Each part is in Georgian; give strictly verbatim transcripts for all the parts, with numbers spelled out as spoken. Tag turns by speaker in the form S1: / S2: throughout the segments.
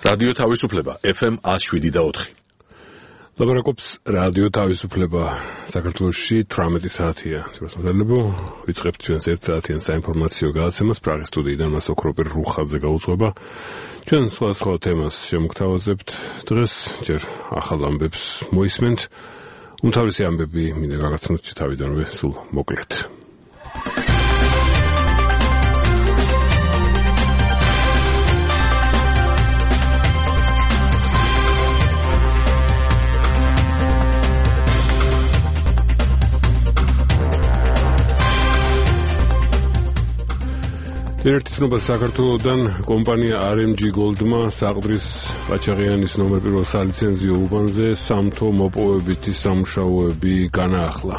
S1: რადიო თავისუფლება ეფ ემ one oh seven და four.
S2: ლაბარაკობს რადიო თავისუფლება საქართველოში თვრამეტი საათია. თვითონ ვიწყებთ ჩვენს ერთ საათიან საინფორმაციო გადაცემას პრაღის სტუდიიდან მას ოქროპერ რუხაძე გაუძღვება. ჩვენ სხვა სხვა თემას შემოგთავაზებთ. დღეს ჯერ ახალ ამბებს მოისმენთ. უმთავრესი ამბები მინდა გაგაცნოთ თავიდანვე სულ მოკლედ. ერთი ცნობა საქართველოდან კომპანია არ ემ ჯი Gold-მა საყდრის ყაჩაღიანის ნომერ პირველ სალიცენზიო უბანზე სამთო მოპოვებითი სამუშაოები განაახლა.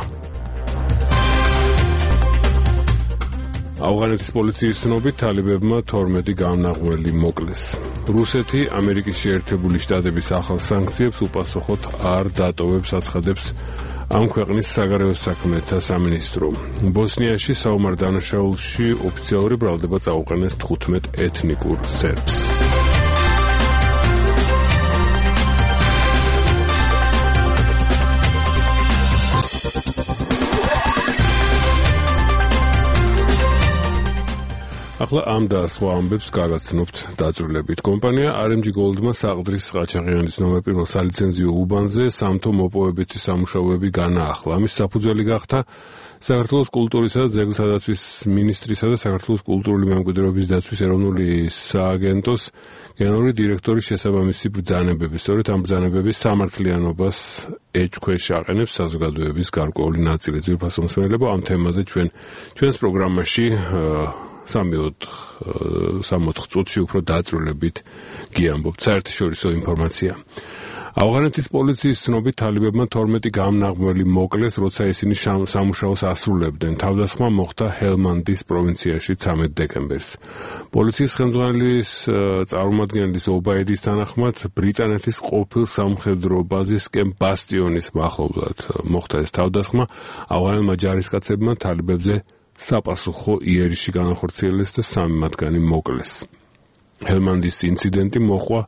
S2: ავღანეთის პოლიციის ცნობით თალიბებმა თორმეტი გამნაღმველი მოკლეს. რუსეთი ამერიკის შეერთებული შტატების ახალ სანქციებს უპასუხოდ არ დატოვებს, აცხადებს ამ ქვეყნის საგარეო საქმეთა სამინისტრო. ბოსნიაში საომარ დანაშაულში ოფიციალური ბრალდება წაუყენეს თხუთმეტ ეთნიკურ სერბს. ახლა ამ და სხვა ამბებს გაგაცნობთ დაწვრილებით. კომპანია არ ემ ჯი Gold-მა საყდრის ყაჩაღიანის ნომერ პირველ სალიცენზიო უბანზე სამთო მოპოვებითი სამუშაოები განაახლა. ამის საფუძველი გახდა საქართველოს კულტურისა და ძეგლთა დაცვის მინისტრისა და საქართველოს კულტურული მემკვიდრეობის დაცვის ეროვნული სააგენტოს გენერალური დირექტორის შესაბამისი ბრძანებები. სწორედ ამ ბრძანებების სამართლიანობას ეჭქვეშ აყენებს საზოგადოების გარკვეული ნაწილი. ძვირფასო მსმენელებო, ამ თემაზე ჩვენ ჩვენს პროგრამაში სამოთხ წუთში უფრო დაწვრილებით გიამბობთ. საერთაშორისო ინფორმაცია. ავღანეთის პოლიციის ცნობით თალიბებმა თორმეტი გამნაღმველი მოკლეს, როცა ისინი სამუშაოს ასრულებდნენ. თავდასხმა მოხდა ჰელმანდის პროვინციაში ცამეტ დეკემბერს. პოლიციის ხელმძღვანელის წარმომადგენლის ობაედის თანახმად ბრიტანეთის ყოფილ სამხედრო ბაზის კემპ ბასტიონის მახლობლად მოხდა ეს თავდასხმა. ავღანელმა ჯარისკაცებმა თალიბებზე საპასუხო იერიში განახორციელეს და სამი მათგანი მოკლეს. ჰელმანდის ინციდენტი მოხვა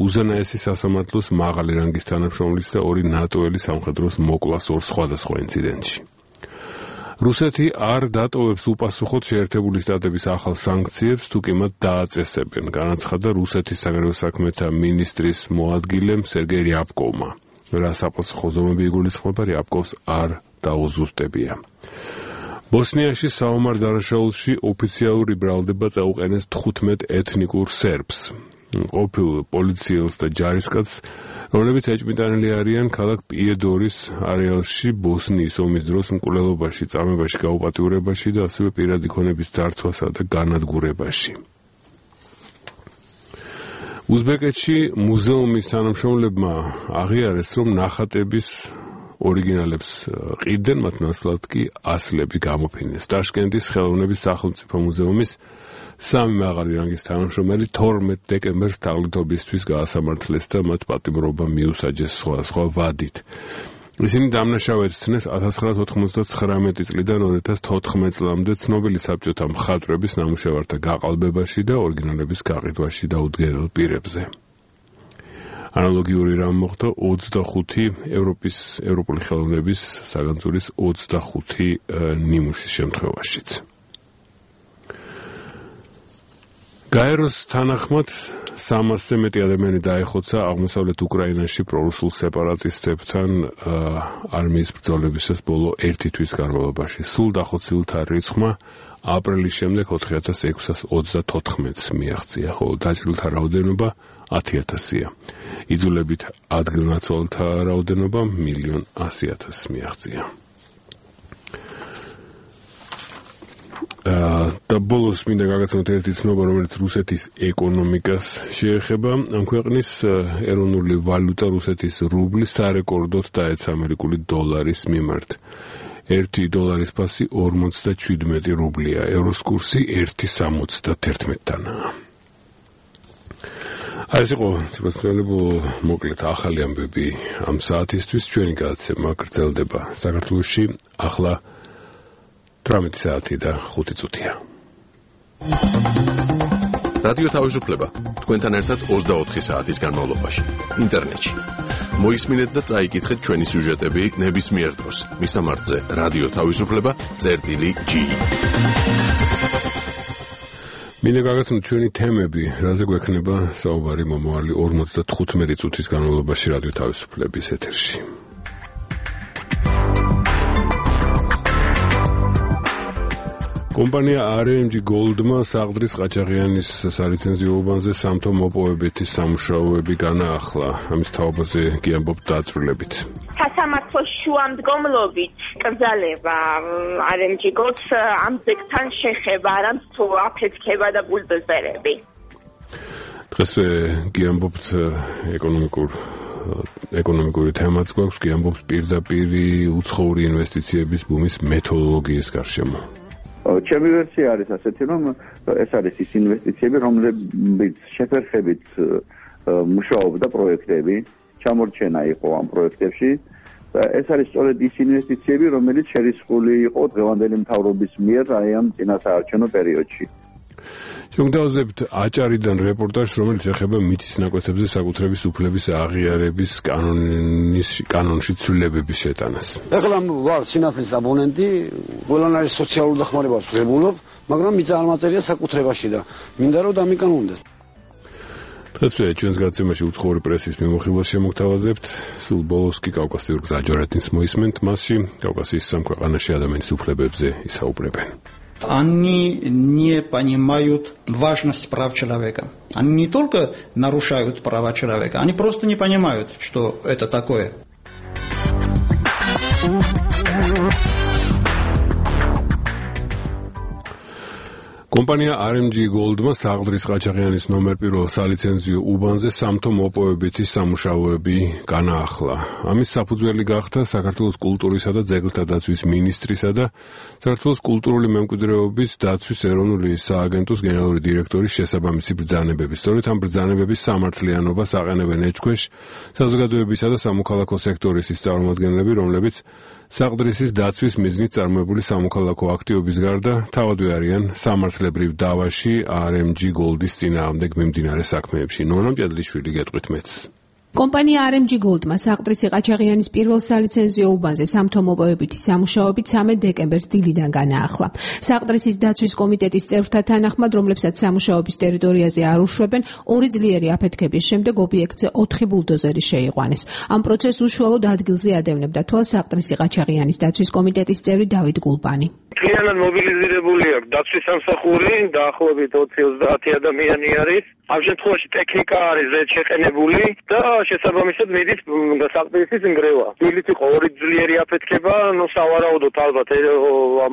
S2: უზენაესი სასამართლოს მაღალი რანგის თანამშრომლის და ორი ნატოელი სამხედროს მოკვლას ორ სხვადასხვა ინციდენტში. რუსეთი არ დატოვებს უპასუხოდ შეერთებული შტატების ახალ სანქციებს, თუკი მათ დააწესებენ, განაცხადა რუსეთის საგარეო საქმეთა მინისტრის მოადგილემ სერგეი რიაბკოვმა. რა საპასუხო ზომები იგულისხმება, რიაბკოვს არ დაუზუსტებია. ბოსნიაში საომარ დანაშაულში ოფიციალური ბრალდება წაუყენეს თხუთმეტ ეთნიკურ სერბს. ყოფილ პოლიციელს და ჯარისკაცს, რომლებიც ეჭვმიტანილი არიან ქალაქ პიედორის არეალში ბოსნიის ომის დროს მკვლელობაში, წამებაში, გაუპატიურებაში და ასევე პირადი ქონების ძარცვასა და განადგურებაში. უზბეკეთში მუზეუმის თანამშრომლებმა აღიარეს, რომ ნახატების ორიგინალებს ყიდნენ, მათ ნაცვლად კი ასლები გამოფინეს. ტაშკენტის ხელოვნების სახელმწიფო მუზეუმის სამი მაღალი რანგის თანამშრომელი თორმეტ დეკემბერს თაღლითობისთვის გაასამართლეს და მათ პატიმრობა მიუსაჯეს სხვადასხვა ვადით. ისინი დამნაშავედ ცნეს ათას ცხრაასი ოთხმოცდათხრამეტი წლიდან ორი ათას თოთხმეტ წლამდე ცნობილი საბჭოთა მხატვრების ნამუშევართა გაყალბებაში და ორიგინალების გაყიდვაში დაუდგენელ პირებზე. ანალოგიური რამ მოხდა ოცდახუთი ევროპის ევროპული ხელოვნების საგანძურის ოცდახუთი ნიმუშის შემთხვევაშიც. გაეროს თანახმად სამასზე მეტი ადამიანი დაეხოცა აღმოსავლეთ უკრაინაში პრორუსულ სეპარატისტებთან არმიის ბრძოლებისას ბოლო ერთი თვის განმავლობაში. სულ დახოცილთა რიცხვმა აპრილის შემდეგ ოთხი ათას ექვსას ოცდათოთხმეტს მიაღწია, ხოლო დაჭრილთა რაოდენობა ათი ათასია. იძულებით ადგილნაცვალთა რაოდენობა მილიონ ასი ათასს მიაღწია. და ბოლოს მინდა გაგაცნოთ ერთი ცნობა, რომელიც რუსეთის ეკონომიკას შეეხება. ამ ქვეყნის ეროვნული ვალუტა რუსეთის რუბლი სარეკორდოდ დაეცა ამერიკული დოლარის მიმართ. ერთი დოლარის ფასი ორმოცდაჩვიდმეტი რუბლია, ევროს კურსი ერთი სამოცდაათი-დანაა. ეს იყო სპეციალურები მოკლედ ახალი ამბები ამ საათისთვის. ჩვენი გადაცემა გრძელდება საქართველოში ახლა თვრამეტი საათი და ხუთი წუთია.
S1: რადიო თავისუფლება თქვენთან ერთად ოცდაოთხი საათის განმავლობაში ინტერნეტში. მოისმინეთ და წაიკითხეთ ჩვენი სიუჟეტები ნებისმიერ დროს მისამართზე რადიო თავისუფლება წერტილი ჯი.
S2: მინდა გაგაცნოთ ჩვენი თემები, რაზე გვექნება საუბარი მომავალი ორმოცდათხუთმეტი წუთის განმავლობაში რადიო თავისუფლების ეთერში. კომპანია არ ემ ჯი Gold-მა საღდრის ყაჩაღიანის სალიცენზიო უბანზე სამთო მოპოვებითი სამუშაოები განაახლა. ამის თაობაზე გიამბობთ დაწვრილებით.
S3: სასამართლოს შუამდგომლობით კრძალება არ ემ ჯი Gold-ს ამბებთან შეხება, არამც თუ აფეთქება და ბულდოზერები.
S2: დღეს გიამბობთ ეკონომიკურ ეკონომიკური თემაც გვაქვს, გიამბობთ პირდაპირი უცხოური ინვესტიციების ბუმის მეთოდოლოგიის გარშემო.
S4: ჩემი ვერსია არის ასეთი, რომ ეს არის ის ინვესტიციები, რომლებიც შეფერხებით მუშაობდა პროექტები, ჩამორჩენა იყო ამ პროექტებში და ეს არის სწორედ ის ინვესტიციები, რომელიც შერისხული იყო დღევანდელი მთავრობის მიერ აი ამ წინასაარჩევნო პერიოდში.
S2: შევგდავზებთ აჭარიდან რეპორტაჟს, რომელიც ეხება მიწის ნაკვეთებზე საკუთრების უფლების აღიარების კანონის კანონში ცვლილებების შეტანას.
S5: ეხლა ვარ სინათლის აბონენტი, ყველანაირი სოციალური დახმარებას ვღებულობ, მაგრამ მიწა არ მაწერია საკუთრებაში და მინდა რომ დამიკანონდეს.
S2: დღეს ჩვენს გადაცემაში უცხოური პრესის მიმოხილვას შემოგთავაზებთ, სულ болос კი კავკასიურ გზაჯვარედინს მოისმენთ, მასში კავკასიის სამ ქვეყანაში ადამიანის უფლებებზე ისაუბრებენ.
S6: Они не понимают важность прав человека. Они не только нарушают права человека, они просто не понимают, что это такое.
S2: კომპანია არ ემ ჯი Gold-მა საღდრის ყაჩაღიანის ნომერ პირველ სალიცენზიო უბანზე სამთო მოპოვებითი სამუშაოები განაახლა. ამის საფუძველი გახდა საქართველოს კულტურისა და ძეგლთა დაცვის მინისტრისა და საქართველოს კულტურული მემკვიდრეობის დაცვის ეროვნული სააგენტოს გენერალური დირექტორის შესაბამისი ბრძანებები. სწორედ ამ ბრძანებების სამართლიანობას აყენებენ ეჭქვეშ საზოგადოებისა და სამოქალაქო სექტორის ის წარმომადგენლები, რომლებიც საღდრისის დაცვის მიზნით წარმოებული სამოქალაქო აქტივობის გარდა თავადვე არიან სამართლებრივ დავაში არ ემ ჯი Gold-ის წინააღმდეგ მიმდინარე საქმეებში. ნონა მჭედლიშვილი გეტყვით მეც.
S7: კომპანია არ ემ ჯი Gold-მა საღდრისი ყაჩაღიანის პირველ სალიცენზიო უბანზე სამთო მოპოვებითი სამუშაოები ცამეტ დეკემბერს დილიდან განაახლა. საღდრისის დაცვის კომიტეტის წევრთა თანახმად, რომლებსაც სამუშაოების ტერიტორიაზე არ უშვებენ, ორი ძლიერი აფეთქების შემდეგ ობიექტზე ოთხი ბულდოზერი შეიყვანეს. ამ პროცესს უშუალოდ ადგილზე ადევნებდა თვალს საღდრისი ყაჩაღიანის დაცვის კომიტეტის წევრი დავით გულბანი.
S8: Klientan mobilizirებული აქვს დაცვის სამსახური, დაახლოებით ოცი ოცდაათი ადამიანი არის. ამ შემთხვევაში ტექნიკა არის შეყენებული და შესაბამისად მიდის საღდრისის ნგრევა. დილით იყო ორი ძლიერი აფეთქება, ნუ სავარაუდოდ ალბათ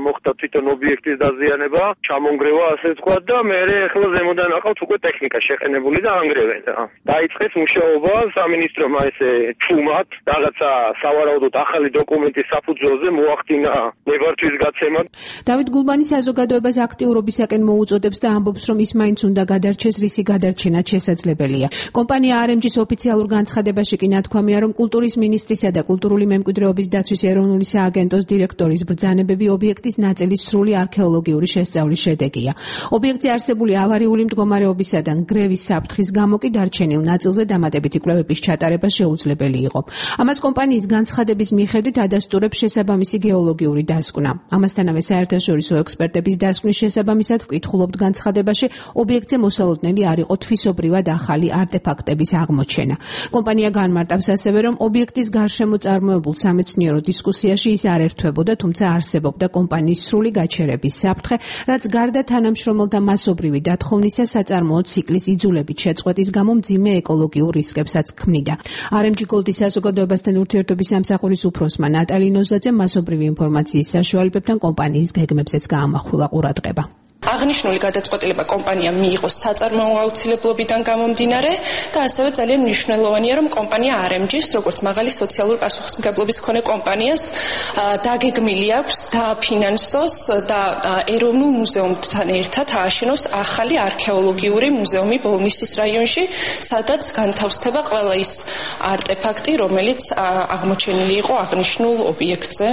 S8: მოხდა თვითონ ობიექტის დაზიანება, ჩამონგრევა ასე ვთქვათ და მე ახლა ზემოდან აყავთ უკვე ტექნიკა შეყენებული და ანგრევენ. დაიწყეს მუშაობა სამინისტრომ ესე ჩუმად რაღაცა სავარაუდოდ ახალი დოკუმენტის საფუძველზე მოახდინა ნებართვის გაცემა.
S7: დავით გულბანი საზოგადოებას აქტიურობისაკენ მოუწოდებს და ამბობს, რომ ის მაინც უნდა გადარჩეს, რისი გადარჩენაც შესაძლებელია. კომპანია არ ემ ჯის ოფიციალურ განცხადებაში კი ნათქვამია, რომ კულტურის მინისტრისა და კულტურული მემკვიდრეობის დაცვის ეროვნული სააგენტოს დირექტორის ბრძანებები ობიექტის ნაწილის სრული არქეოლოგიური შესწავლის შედეგია. ობიექტზე არსებული ავარიული მდგომარეობისა და ნგრევის საფრთხის გამო კი დარჩენილ ნაწილზე დამატებითი კვლევების ჩატარება შეუძლებელი იყო. ამას კომპანიის განცხადების მიხედვით ადასტურებს შესაბამისი გეოლოგიური დასკვნა. ამასთანავე საერთაშორისო ექსპერტების დასკვნის შესაბამისად ვკითხულობთ განცხადებაში, ობიექტზე მოსალოდნელი არ იყო თვისობრივად ახალი არტეფაქტების აღმოჩენა. კომპანია განმარტავს ასევე, რომ ობიექტის გარშემო წარმოებულ სამეცნიერო დისკუსიაში ის არ ერთვებოდა, თუმცა არსებობდა კომპანიის სრული გაჩერების საფრთხე, რაც გარდა თანამშრომელთა მასობრივი დათხოვნისა საწარმოო ციკლის იძულებით შეწყვეტის გამო მძიმე ეკოლოგიურ რისკებსაც ქმნიდა. არ ემ ჯი Gold-ის საზოგადოებასთან ურთიერთობის სამსახურის უფროსმა ნატალი ნოზაძემ მასობრივი ინფორმაციის საშუალებებთან კომპანიის გეგმებზეც გაამახვილა ყურადღება.
S9: აღნიშნული გადაწყვეტილება კომპანიამ მიიღო საწარმოო აუცილებლობიდან გამომდინარე და ასევე ძალიან მნიშვნელოვანია, რომ კომპანია არ ემ ჯის, როგორც მაღალი სოციალური პასუხისმგებლობის მქონე კომპანიას, დაგეგმილი აქვს დააფინანსოს და ეროვნულ მუზეუმთან ერთად ააშენოს ახალი არქეოლოგიური მუზეუმი ბოლნისის რაიონში, სადაც განთავსდება ყველა ის არტეფაქტი, რომელიც აღმოჩენილი იყო აღნიშნულ ობიექტზე.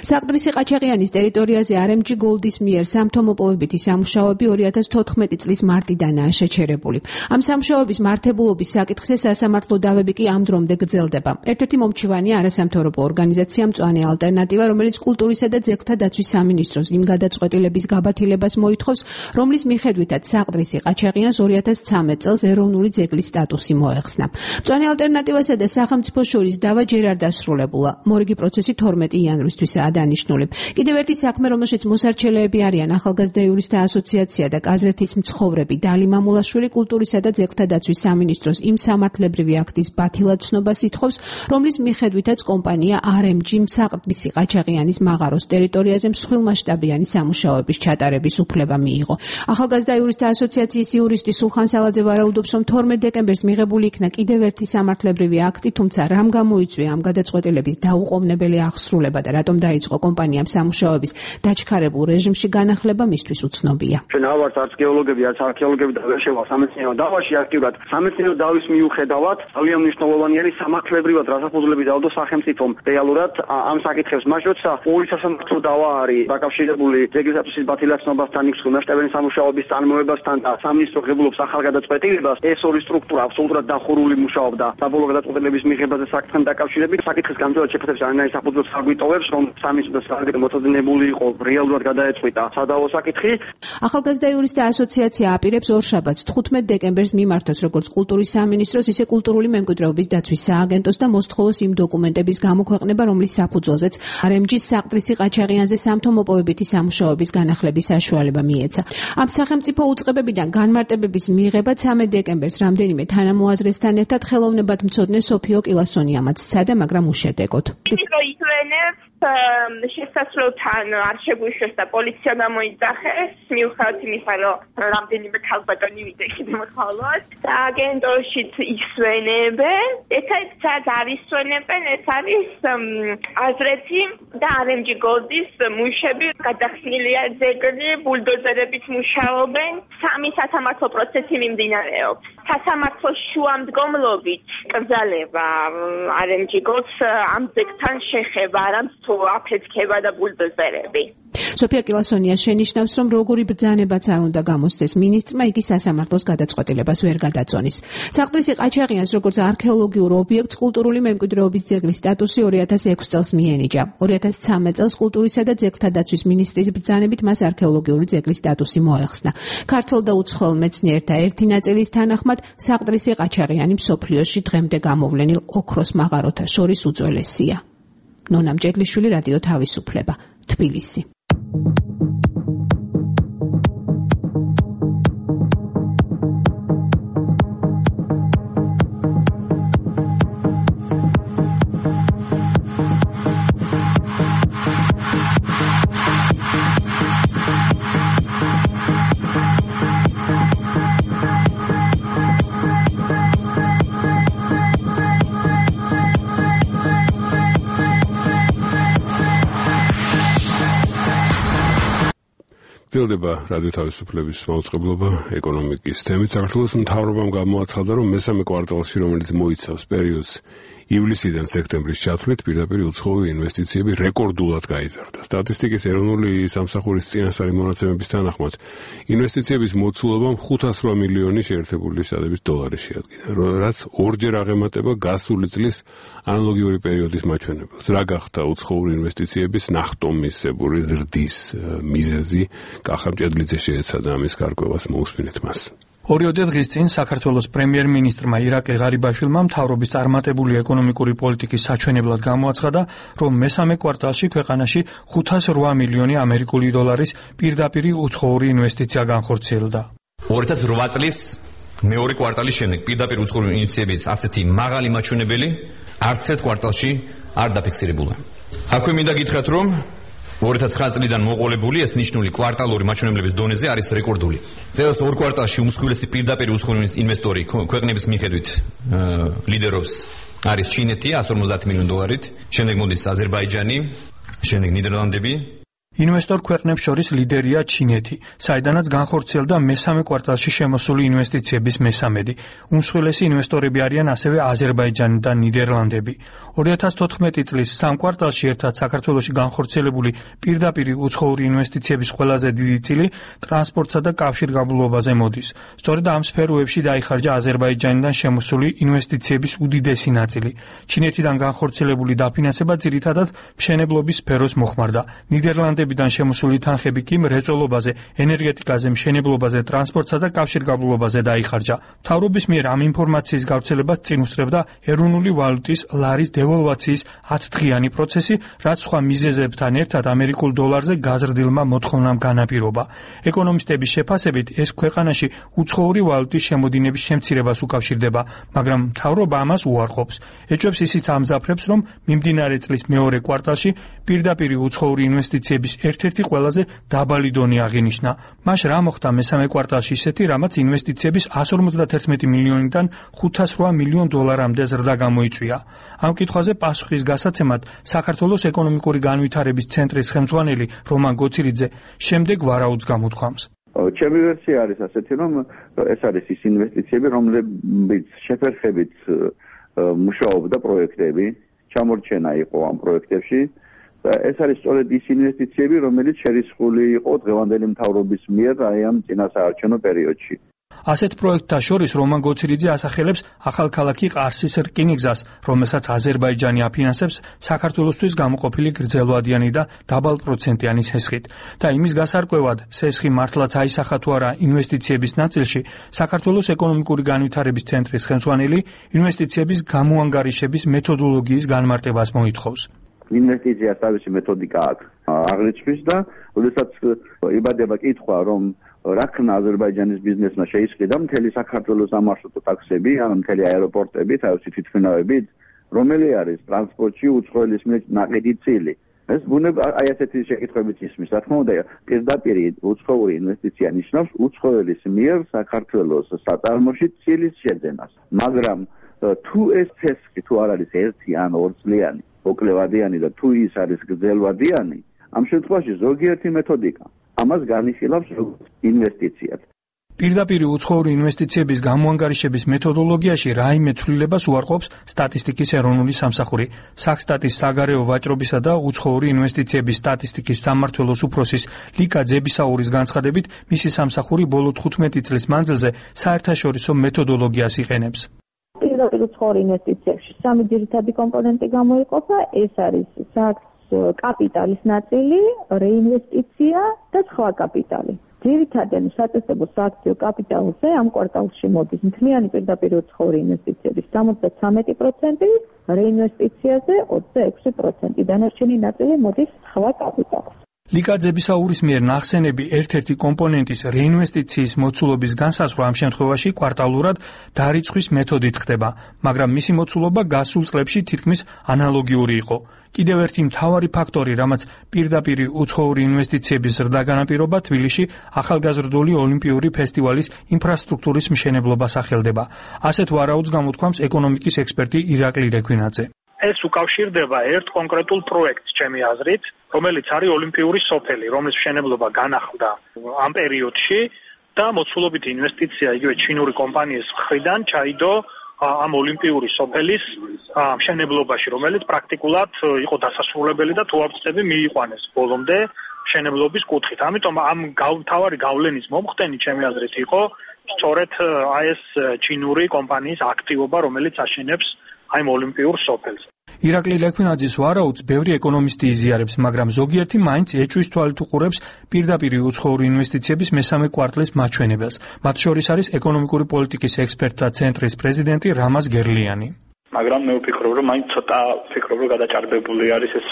S7: საყდრისი ყაჩაღიანის ტერიტორიაზე არ ემ ჯი Gold-ის მიერ სამთომოპოვებითი სამუშაოები ორი ათას თოთხმეტი წლის მარტიდანაა შეჩერებული. ამ სამუშაოების მართებულობის საკითხზე სასამართლო დავები კი ამ დრომდე გრძელდება. ერთ-ერთი მომჩივანია არასამთავრობო ორგანიზაცია მწვანე ალტერნატივა, რომელიც კულტურისა და ძეგლთა დაცვის სამინისტროს იმ გადაწყვეტილების გაბათილებას მოითხოვს, რომლის მიხედვითაც საყდრისი ყაჩაღიანს ორი ათას ცამეტ წელს ეროვნული ძეგლის სტატუსი მოეხსნა. მწვანე ალტერნატივასა და სახელმწიფოს შორის დავა ჯერ არ დასრულებულა. მორიგი პროცესი თორმეტი იანვრისთვისაა დანიშნული. კიდევ ერთი საქმე, რომელშიც მოსარჩელეები არიან ახალგაზრდა იურისტთა ასოციაცია და კაზრეთის მცხოვრები დალი მამულაშვილი, კულტურისა და ძეგლთა დაცვის სამინისტროს იმ სამართლებრივი აქტის ბათილად ცნობას ითხოვს, რომლის მიხედვითაც კომპანია არ ემ ჯი საყდრისი ყაჩაღიანის მაღაროს ტერიტორიაზე მსხვილმასშტაბიანი სამუშაოების ჩატარების უფლება მიიღო. ახალგაზრდა იურისტთა ასოციაციის იურისტი სულხან სალაძე ვარაუდობს, რომ თორმეტ დეკემბერს მიღებული იქნა კიდევ ერთი სამართლებრივი აქტი, თუმცა რამ გამოიწვია ამ გადაწყვეტილების დაუყოვნებელი აღსრულება და რატომ დაიწყო კომპანიამ სამუშაოების დაჩქარებულ რეჟიმში განახლება მისთვის უცნობია.
S5: ჩვენ ავართ არც გეოლოგები, არც არქეოლოგები და ვერ შევალ სამეცნიერო დავაში აქტიურად. სამეცნიერო დავის მიუხედავად ძალიან მნიშვნელოვანი არის სამართლებრივად რასაფუძვლები დაუდო სახელმწიფომ რეალურად ამ საკითხებს, მას როცა ორი სასამართლო დავა არის დაკავშირებული ძეგლის სტატუსის ბათილაცნობასთან, იქ მსხვილმასშტაბიანი სამუშაოების წარმოებასთან და სამინისტრო ღებულობს ახალ გადაწყვეტილებას, ეს ორი სტრუქტურა აბსოლუტურად დახურული მუშაობდა საბოლოო გადაწყვეტილების მიღებაზე საკითხთან დაკავშირებით. საკითხის განხილვა შეფეთებს არანაირ საფუძველს არ გვიტოვებს, რომ სამინისტრო საკითხი მოწოდებული იყო, რეალურად გადაეწყვიტა სადავო საკითხი.
S7: ახალგაზრდა იურისტთა ასოციაცია აპირებს ორშაბათს თხუთმეტ დეკემბერს მიმართოს როგორც კულტურის სამინისტროს, ისე კულტურული მემკვიდრეობის დაცვის სააგენტოს და მოსთხოვოს იმ დოკუმენტების გამოქვეყნება, რომლის საფუძველზეც არ ემ ჯის საყდრისი ყაჩაღიანზე სამთომოპოვებითი სამუშაოების განახლების საშუალება მიეცა. ამ სახელმწიფო უწყებებიდან განმარტებების მიღება ცამეტ დეკემბერს რამდენიმე თანამოაზრესთან ერთად ხელოვნებად მცოდნე სოფიო კილასონიამაც სცადა, მაგრამ უშედეგოდ.
S3: შესასვლელთან არ შეგვიშვეს და პოლიცია გამოიძახეს, მიუხედავად იმისა, რომ რამდენიმე ქალბატონი ვიდექით მხოლოდ და აგენტოშიც ისვენებენ. ესეც არ ისვენებენ, ეს არის აზრეთი და არ ემ ჯი Gold-ის მუშები, გადახსნილია ძეგლი, ბულდოზერებით მუშაობენ, სამი სასამართლო პროცესი მიმდინარეობს. სასამართლოს შუამდგომლობით კრძალება არ ემ ჯი Gold-ს ამ ძეგლთან შეხება, არამც თუ აფეთქება და ბულდოზერები.
S7: სოფია კილასონია შენიშნავს, რომ როგორი ბრძანებაც არ უნდა გამოსცეს მინისტრმა, იგი სასამართლოს გადაწყვეტილებას ვერ გადაწონის. საყდრისი ყაჩაღიანს როგორც არქეოლოგიურ ობიექტს კულტურული მემკვიდრეობის ძეგლის სტატუსი ორი ათას ექვსი წელს მიენიჭა. ორი ათას ცამეტ წელს კულტურისა და ძეგლთა დაცვის მინისტრის ბრძანებით მას არქეოლოგიური ძეგლის სტატუსი მოეხსნა. ქართველ და უცხოელ მეცნიერთა ერთი ნაწილის თანახმად საყდრისი ყაჩაღიანი მსოფლიოში დღემდე გამოვლენილ ოქროს მაღაროთა შორის უძველესია. ნონა მჭედლიშვილი, რადიო თავისუფლება, თბილისი.
S2: გრძელდება რადიო თავისუფლების მაუწყებლობა ეკონომიკის თემით. საქართველოს მთავრობამ გამოაცხადა, რომ მესამე კვარტალში, რომელიც მოიცავს პერიოდს ივლისიდან სექტემბრის ჩათვლით, პირდაპირ უცხოური ინვესტიციები რეკორდულად გაიზარდა. სტატისტიკის ეროვნული სამსახურის წინასწარი მონაცემების თანახმად, ინვესტიციების მოცულობამ ხუთას რვა მილიონი შეერთებული შტატების დოლარი შეადგინა, რაც ორჯერ აღემატება გასული წლის ანალოგიური პერიოდის მაჩვენებელს. რა გახდა უცხოური ინვესტიციების ნახტომისებური ზრდის მიზეზი? კახა მჭედლიძე შეეცადა ამის გარკვევას, მოусმინეთ მას.
S10: ორიოდე დღის წინ საქართველოს პრემიერ-მინისტრმა ირაკლი ღარიბაშვილმა მთავრობის წარმატებული ეკონომიკური პოლიტიკის საჩვენებლად გამოაცხადა, რომ მესამე კვარტალში ქვეყანაში ხუთას რვა მილიონი ამერიკული დოლარის პირდაპირ უცხოური ინვესტიცია განხორციელდა.
S11: ორი ათას რვა წლის მეორე კვარტალის შემდეგ პირდაპირ უცხოური ინვესტიციების ასეთი მაღალი მაჩვენებელი არც ერთ კვარტალში არ დაფიქსირებულა. აქვე მინდა გითხრათ, რომ ორი ათას ცხრა წლიდან მოყოლებული ეს ნიშნული კვარტალური მაჩვენებლების დონეზე არის რეკორდული. წელს ორ კვარტალში უმსხვილესი პირდაპირ უცხოური ინვესტორი ქვეყნების მიხედვით ლიდერობს არის ჩინეთი εκατს ორმოცდაათ მილიონ დოლარით, შემდეგ მოდის აზერბაიჯანი, შემდეგ ნიდერლანდები,
S10: ინვესტორ ქვეყნებს შორის ლიდერია ჩინეთი, საიდანაც განხორციელდა მესამე კვარტალში შემოსული ინვესტიციების მესამედი. უმსხვილესი ინვესტორები არიან ასევე აზერბაიჯანი და ნიდერლანდები. ორი ათას თოთხმეტი წლის სამ კვარტალში ერთად საქართველოში განხორციელებული პირდაპირი უცხოური ინვესტიციების ყველაზე დიდი წილი ტრანსპორტსა და კავშირგაბმულობაზე მოდის. სწორედ ამ სფეროებში დაიხარჯა აზერბაიჯანიდან შემოსული ინვესტიციების უდიდესი ნაწილი. ჩინეთიდან განხორციელებული დაფინანსება ძირითადად მშენებლობის სფეროს მოხმარდა. ნიდერლანდები დან შემოსული თანხები კი მრეწველობაზე, ენერგეტიკაზე, მშენებლობაზე, ტრანსპორტსა და კავშირგაბმულობაზე დაიხარჯა. მთავრობის მიერ ამ ინფორმაციის გავრცელებას წინ უსწრებდა ეროვნული ვალუტის ლარის დევალვაციის ათდღიანი პროცესი, რაც სხვა მიზეზებთან ერთად ამერიკულ დოლარზე გაზრდილმა მოთხოვნამ განაპირობა. ეკონომისტების შეფასებით, ეს ქვეყანაში უცხოური ვალუტის შემოდინების შემცირებას უკავშირდება, მაგრამ მთავრობა ამას უარყოფს. ეჭვებს ისიც ამძაფრებს, რომ მიმდინარე წლის მეორე კვარტალში პირდაპირი უცხოური ინვესტიციების ერთ-ერთი ყველაზე დაბალი დონე აღინიშნა. მას რა მოხდა მესამე კვარტალში ისეთი, რამაც ინვესტიციების εκατს ორმოცდაათი მილიონიდან ხუთას რვა მილიონ დოლარამდე ზრდა გამოიწვია. ამ კითხვაზე პასუხის გასაცემად საქართველოს ეკონომიკური განვითარების ცენტრის ხელმძღვანელი რომან გოცირიძე შემდეგ ვარაუდს გამოთქვამს.
S4: ჩემი ვერსია არის ასეთი, რომ ეს არის ის ინვესტიციები, რომლებიც შეფერხებით მუშაობდა პროექტები, ჩამორჩენა იყო ამ პროექტებში. ეს არის სწორედ ის ინვესტიციები, რომელიც შერისხული იყო დღევანდელი მთავრობის მიერ აი ამ წინასაარჩევნო პერიოდში.
S10: ასეთ პროექტთა შორის რომან გოცირიძე ასახელებს ახალქალაქი ყარსის რკინიგზას, რომელსაც აზერბაიჯანი აფინანსებს საქართველოსთვის გამოყოფილი გრძელვადიანი და დაბალპროცენტიანი სესხით. და იმის გასარკვევად, სესხი მართლაც აისახა თუ არა ინვესტიციების ნაწილში, საქართველოს ეკონომიკური განვითარების ცენტრის ხელმძღვანელი ინვესტიციების გამოანგარიშების მეთოდოლოგიის განმარტებას მოითხოვს.
S4: ინვესტიციას თავისი მეთოდიკა აქვს აღრიცხვის და როდესაც იბადება კითხვა, რომ რა ქნა აზერბაიჯანის ბიზნესმა შეისყიდა მთელი საქართველოს სამარშრუტო ტაქსები, ან მთელი აეროპორტები, თავისი თვითმფრინავებით, რომელი არის ტრანსპორტში უცხოელის მიერ ნაყიდი წილი. ეს ბუნება აი ასეთი შეკითხვებით ისმის. რა თქმა უნდა, პირდაპირ უცხოური ინვესტიცია ნიშნავს უცხოელის მიერ საქართველოს საწარმოში წილის შეძენას. მაგრამ თუ ეს ცესხი თუ არ არის ერთი ან ორწლიანი, მოკლევადიანი და თუ ის არის გრძელვადიანი, ამ შემთხვევაში ზოგიერთი მეთოდიკა ამას განიხილავს როგორც ინვესტიციად.
S10: პირდაპირი უცხოური ინვესტიციების გამოანგარიშების მეთოდოლოგიაში რაიმე ცვლილებას უარყოფს სტატისტიკის ეროვნული სამსახური. საქსტატის საგარეო ვაჭრობისა და უცხოური ინვესტიციების სტატისტიკის სამმართველოს უფროსის ლიკა ძებისაურის განცხადებით, მისი სამსახური ბოლო თხუთმეტი წლის მანძილზე საერთაშორისო მეთოდოლოგიას იყენებს.
S12: პირდაპირ უცხოური ინვესტიციებში სამი ძირითადი კომპონენტი გამოიყოფა, ეს არის კაპიტალის ნაწილი, რეინვესტიცია და სხვა კაპიტალი. ძირითადად სატესტებო სააქციო კაპიტალზე ამ კვარტალში მოდის მთლიანი პირდაპირ უცხოური ინვესტიციების სამოცდათრამეტი პროცენტი, რეინვესტიციაზე ოცდაექვსი პროცენტი, დანარჩენი ნაწილი მოდის სხვა კაპიტალს.
S10: ლიკა ძებისაურის მიერ ნახსენები ერთ-ერთი კომპონენტის რეინვესტიციის მოცულობის განსაზღვრა ამ შემთხვევაში კვარტალურად დარიცხვის მეთოდით ხდება, მაგრამ მისი მოცულობა გასულ წლებში თითქმის ანალოგიური იყო. კიდევ ერთი მთავარი ფაქტორი, რამაც პირდაპირი უცხოური ინვესტიციების ზრდა განაპირობა, თბილისში ახალგაზრდული ოლიმპიური ფესტივალის ინფრასტრუქტურის მშენებლობას ახელდება. ასეთ ვარაუდს გამოთქვამს ეკონომიკის ექსპერტი ირაკლი რექვინაძე.
S13: ეს უკავშირდება ერთ კონკრეტულ პროექტს, ჩემი აზრით, რომელიც არის ოლიმპიური სოფელი, რომლის მშენებლობა განახლდა ამ პერიოდში და მოცულობითი ინვესტიცია იგივე ჩინური კომპანიის მხრიდან ჩაიდო ამ ოლიმპიური სოფელის მშენებლობაში, რომელიც პრაქტიკულად იყო დასასრულებელი და თუაფსები მიიყვანეს ბოლომდე მშენებლობის კუთხით. ამიტომ ამ თავარი გავლენის მომხდენი, ჩემი აზრით, იყო სწორედ აი ეს ჩინური კომპანიის აქტივობა, რომელიც აშენებს აი ამ ოლიმპიურ სოფელს.
S10: ირაკლი ლექვინაძის ვარაუდს ბევრი ეკონომისტი იზიარებს, მაგრამ ზოგიერთი მაინც ეჭვის თვალით უყურებს პირდაპირი უცხოური ინვესტიციების მესამე კვარტლის მაჩვენებელს. მათ შორის არის ეკონომიკური პოლიტიკის ექსპერტთა ცენტრის პრეზიდენტი რამაზ გერლიანი.
S14: მაგრამ მე ვფიქრობ, რომ მაინც ცოტა ვფიქრობ, რომ გადაჭარბებული არის ეს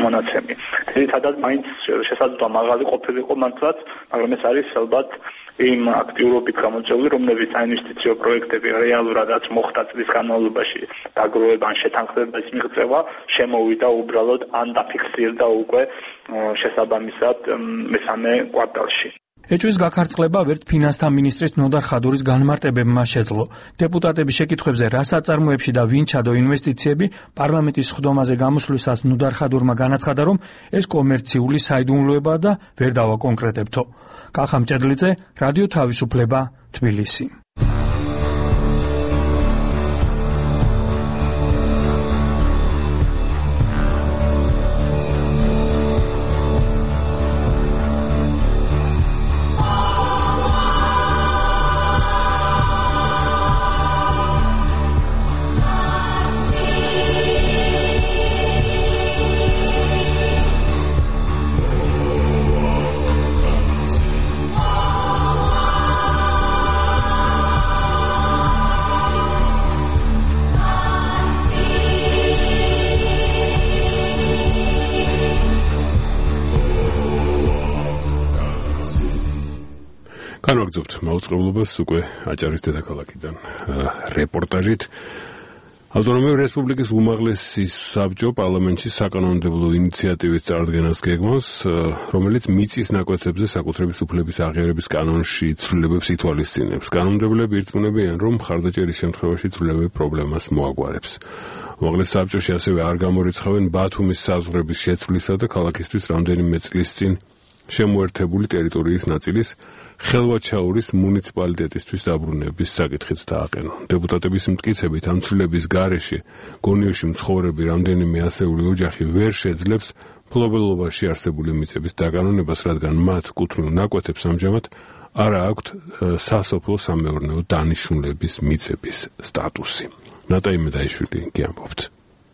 S14: მონაცემი. ძირითადად მაინც შესაძლოა მაღალი ყოფილიყო მართლაც, მაგრამ ეს არის ალბათ იმ აქტიურობით გამოწვეული, რომლებიც საინვესტიციო პროექტები რეალურადაც მოხდა წლის განმავლობაში დაგროვება ან შეთანხმების მიღწევა შემოვიდა უბრალოდ ან დაფიქსირდა უკვე შესაბამისად მესამე კვარტალში.
S10: ეჭვის გაქარწყლება ვერთ ფინანსთა მინისტრის ნოდარ ხადურის განმარტებებმა შეძლო. დეპუტატების შეკითხვებზე რა საწარმოებში და ვინ ჩადო ინვესტიციები პარლამენტის სხდომაზე გამოსვლისას ნოდარ ხადურმა განაცხადა, რომ ეს კომერციული საიდუმლოებაა და ვერ დავაკონკრეტებთო. კახამ ჭედლიძე, რადიო თავისუფლება, თბილისი.
S2: განვაგრძობთ მაუწყებლობას უკვე აჭარის დედაქალაქიდან რეპორტაჟით. ავტონომიური რესპუბლიკის უმაღლესი საბჭო პარლამენტში საკანონმდებლო ინიციატივის წარდგენას გეგმავს, რომელიც მიწის ნაკვეთებზე საკუთრების უფლების აღიარების კანონში ცვლილებებს ითვალისწინებს. კანონმდებლები ირწმუნებიან, რომ მხარდაჭერის შემთხვევაში ცვლილებები პრობლემას მოაგვარებს. უმაღლეს საბჭოში ასევე არ გამორიცხავენ ბათუმის საზღვრების შეცვლისა და ქალაქისთვის რამდენიმე წლის წინ შემოერთებული ტერიტორიის ნაწილის ხელვაჩაურის მუნიციპალიტეტისთვის დაბრუნების საკითხიც დააყენონ. დეპუტატების მტკიცებით ამ ცვლილების გარეშე გონიოში მცხოვრები რამდენიმე ასეული ოჯახი ვერ შეძლებს მფლობელობაში არსებული მიწების დაკანონებას, რადგან მათ კუთვნილ ნაკვეთებს ამჟამად არ აქვთ სასოფლო სამეურნეო დანიშნულების მიწების სტატუსი. ნატაი მედაიშვილი გიამბობთ.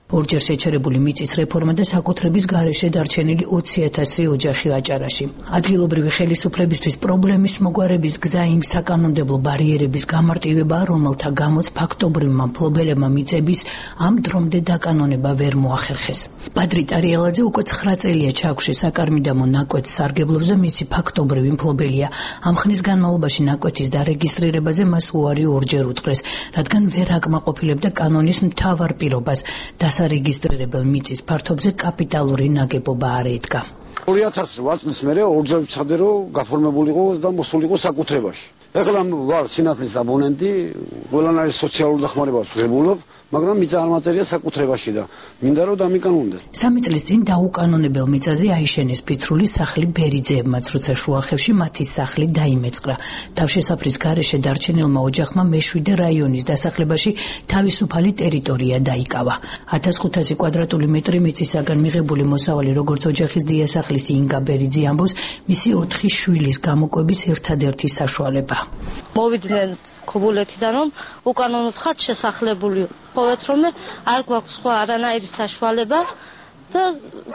S15: ორჯერ შეჩერებული მიწის რეფორმა და საკუთრების გარეშე დარჩენილი ოცი ათასი ოჯახი აჭარაში. ადგილობრივი ხელისუფლებისთვის პრობლემის მოგვარების გზა იმ საკანონმდებლო ბარიერების გამარტივებაა, რომელთა გამოც ფაქტობრივმა მფლობელებმა მიწების ამ დრომდე დაკანონება ვერ მოახერხეს. ბადრი ტარიელაძე უკვე ცხრა წელია ჩაქვში საკარმიდამო ნაკვეთს სარგებლობს და მისი ფაქტობრივი მფლობელია. ამ ხნის განმავლობაში ნაკვეთის დარეგისტრირებაზე მას უარი ორჯერ უთხრეს, რადგან ვერ აკმაყოფილებდა კანონის მთავარ პირობას. დასარეგისტრირებელ მიწის ფართობზე კაპიტალური ნაგებობა არ ედგა.
S16: ორი ათას რვა წლის მერე ორჯერ ვცადე, რომ გაფორმებულიყო და მოსულიყო საკუთრებაში. ეხლა ვარ სინათლის აბონენტი, ყველანაირი სოციალური დახმარებას ვღებულობ, მაგრამ მიწა არ მაწერია საკუთრებაში და მინდა რომ დამიკანონდეს.
S15: სამი წლის წინ დაუკანონებელ მიწაზე აიშენეს ფიცრული სახლი ბერიძეებმაც, როცა შუახევში მათი სახლი დაიმეწყრა. თავშესაფრის გარეშე დარჩენილმა ოჯახმა მეშვიდე რაიონის დასახლებაში თავისუფალი ტერიტორია დაიკავა. ათას ხუთასი კვადრატული მეტრი მიწისაგან მიღებული მოსავალი, როგორც ოჯახის დიასახლის ინგა ბერიძე ამბობს, მისი ოთხი შვილის გამოკვების ერთადერთი საშუალება.
S17: მოვიდნენ ქობულეთიდან, რომ უკანონოდ ხართ შესახლებული. ხოვეთ რომ არ გვაქვს სხვა არანაირი საშუალება და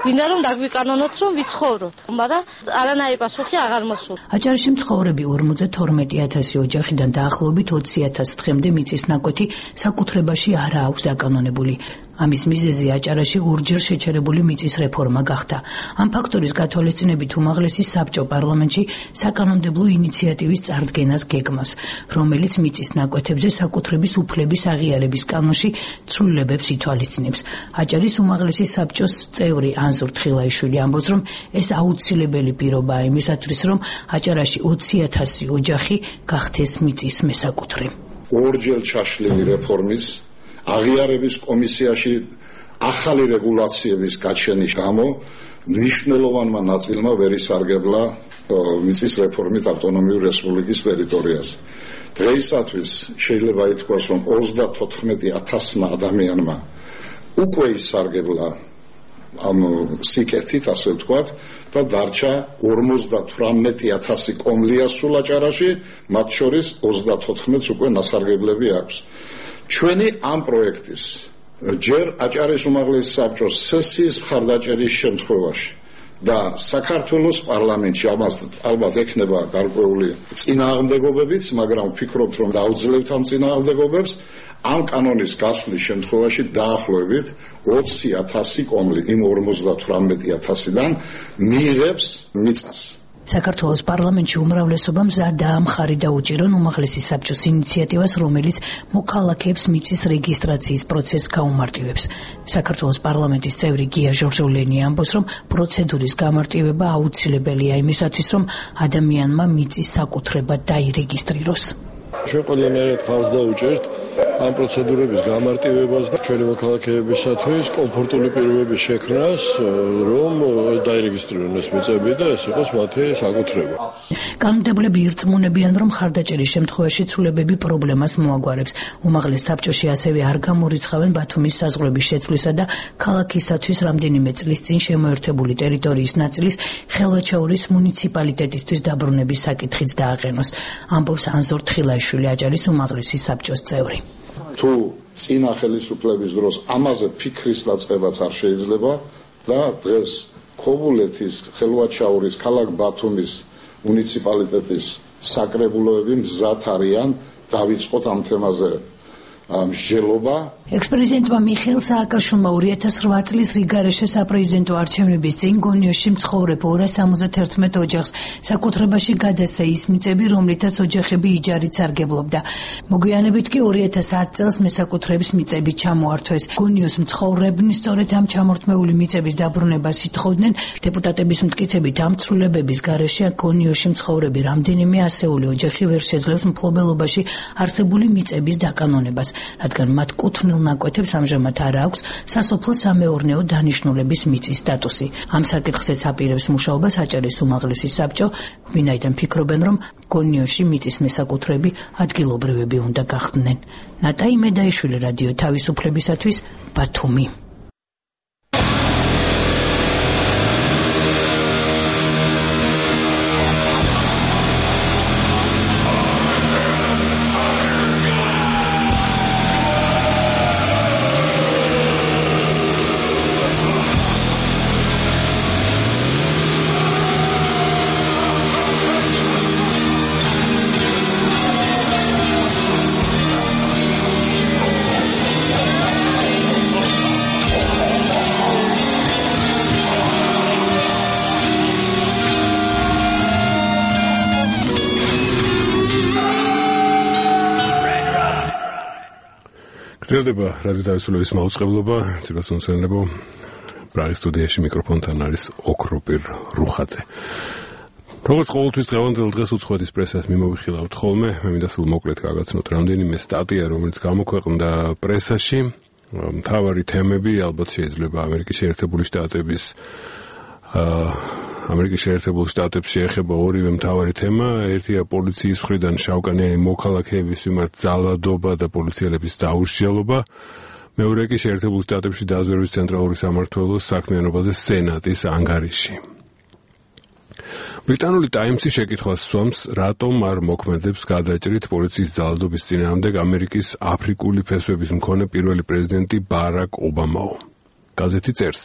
S17: გვინდა რომ დაგვიკანონოთ, რომ ვიცხოვროთ, მაგრამ არანაირი პასუხი აღარ მოსულა.
S15: აჭარაში მცხოვრები ორმოცდათორმეტი ათასი ოჯახიდან დაახლოებით ოცი ათას თხემდე მიწის ნაკვეთი საკუთრებაში არ აქვს დაკანონებული. ამის მიზეზი აჭარაში ორჯერ შეჩერებული მიწის რეფორმა გახდა. ამ ფაქტორის გათვალისწინებით უმაღლესი საბჭო პარლამენტში საკანონმდებლო ინიციატივის წარდგენას გეგმავს, რომელიც მიწის ნაკვეთებზე საკუთრების უფლების აღიარების კანონში ცვლილებებს ითვალისწინებს. აჭარის უმაღლესი საბჭოს წევრი ანზორ თხილაიშვილი ამბობს, რომ ეს აუცილებელი პირობაა იმისათვის, რომ აჭარაში ოცი ათასი ოჯახი გახდეს მიწის მესაკუთრე.
S18: ორჯერ ჩაშლილი რეფორმის აღიარების კომისიაში ახალი რეგულაციების გაჩენის გამო მნიშვნელოვანმა ნაწილმა ვერ ისარგებლა მიწის რეფორმით ავტონომიური რესპუბლიკის ტერიტორიაზე. დღეისათვის შეიძლება ითქვას, რომ ოცდათოთხმეტი ათასმა ადამიანმა უკვე ისარგებლა ამ სიკეთით, ასე ვთქვათ, და დარჩა ორმოცდათვრამეტი ათასი კომლია სულ აჭარაში, მათ შორის ოცდათოთხმეტს უკვე ნასარგებლები აქვს. ჩვენი ამ პროექტის ჯერ აჭარის უმაღლესი საბჭოს სესიის მხარდაჭერის შემთხვევაში და საქართველოს პარლამენტში ამას ალბათ ექნება გარკვეული წინააღმდეგობებიც, მაგრამ ვფიქრობთ, რომ დაუძლებთ ამ წინააღმდეგობებს. ამ კანონის გასვლის შემთხვევაში დაახლოებით ოცი ათასი კომლი იმ ორმოცდათვრამეტი ათასიდან მიიღებს მიწას.
S15: საქართველოს პარლამენტში უმრავლესობა მზადაა მხარი დაუჭირონ უმაღლესი საბჭოს ინიციატივას, რომელიც მოქალაქეებს მიწის რეგისტრაციის პროცესს გაუმარტივებს. საქართველოს პარლამენტის წევრი გია ჟორჟოლენი ამბობს, რომ პროცედურის გამარტივება აუცილებელია იმისათვის, რომ ადამიანმა მიწის საკუთრება დაირეგისტრიროს.
S19: ჩვენ ყველანაირად ხალხს დავუჭერთ ამ პროცედურების გამარტივებას და ჩვენი მოქალაქეებისათვის კომფორტული პირობების შექმნას, რომ დაირეგისტრირონ ეს მიწები და ეს იყოს მათი საკუთრება.
S15: კანონმდებლები ირწმუნებიან, რომ ხარდაჭერის შემთხვევაში ცვლილებები პრობლემას მოაგვარებს. უმაღლეს საბჭოში ასევე არ გამორიცხავენ ბათუმის საზღვრების შეცვლისა და ქალაქისათვის რამდენიმე წლის წინ შემოერთებული ტერიტორიის ნაწილის ხელვაჩაურის მუნიციპალიტეტისთვის დაბრუნების საკითხიც დააყენოს. ამბობს ანზორ თხილაიშვილი, აჭარის უმაღლესი საბჭოს წევრი.
S18: თუ წინა ხელისუფლების დროს ამაზე ფიქრის დაწყებაც არ შეიძლება და დღეს ქობულეთის, ხელვაჩაურის, ქალაქ ბათუმის მუნიციპალიტეტის საკრებულოები მზად არიან დავიწყოთ ამ თემაზე მსჯელობა.
S15: ექს-პრეზიდენტმა მიხეილ სააკაშვილმა ორი ათას რვა წლის რიგარეშე საპრეზიდენტო არჩევნების წინ გონიოში მცხოვრებ ორას ორმოცდაათი ოჯახს საკუთრებაში გადასცა ის მიწები, რომლითაც ოჯახები იჯარით სარგებლობდა. მოგვიანებით კი ორი ათას ათი წელს მესაკუთრების მიწები ჩამოართვეს. გონიოს მცხოვრებნი სწორედ ამ ჩამორთმეული მიწების დაბრუნებას ითხოვდნენ. დეპუტატების მტკიცებით ამ ცვლილებების გარეშე გონიოში მცხოვრები რამდენიმე ასეული ოჯახი ვერ შეძლებს მფლობელობაში არსებული მიწების დაკანონებას, რადგან მათ კუთვნილ ნაკვეთებს ამჟამად არ აქვს სასოფლო სამეურნეო დანიშნულების მიწის სტატუსი. ამ საკითხზეც აპირებს მუშაობას აჭარის უმაღლესი საბჭო, ვინაიდან ფიქრობენ, რომ გონიოში მიწის მესაკუთრეები ადგილობრივები უნდა გახდნენ. ნატაი მედაიშვილი, რადიო თავისუფლებისათვის, ბათუმი.
S2: გრძელდება რადიო თავისუფლების მაუწყებლობა, ცებას უნცენლებო, პრაღის სტუდიაში მიკროფონთან არის ოქროპირ რუხაძე. როგორც ყოველთვის დღევანდელ დღეს უცხოეთის პრესას მიმოვიხილავთ ხოლმე, მე მინდა სულ მოკლედ გაგაცნოთ რამდენიმე სტატია, რომელიც გამოქვეყნდა პრესაში. მთავარი თემები ალბათ შეიძლება ამერიკის შეერთებული შტატების ამერიკის შეერთებულ შტატებს შეეხება ორივე მთავარი თემა. ერთია პოლიციის მხრიდან შავკანიანი მოქალაქეების მიმართ ძალადობა და პოლიციელების დაუსჯელობა. მეორე კი შეერთებულ შტატებში დაზვერვის ცენტრალური სამმართველოს საქმიანობაზე სენატის ანგარიში. ბრიტანული ტაიმსი შეკითხვას სვამს, რატომ არ მოქმედებს გადაჭრით პოლიციის ძალადობის წინააღმდეგ ამერიკის აფრიკული ფესვების მქონე პირველი პრეზიდენტი ბარაკ ობამაო. გაზეთი წერს,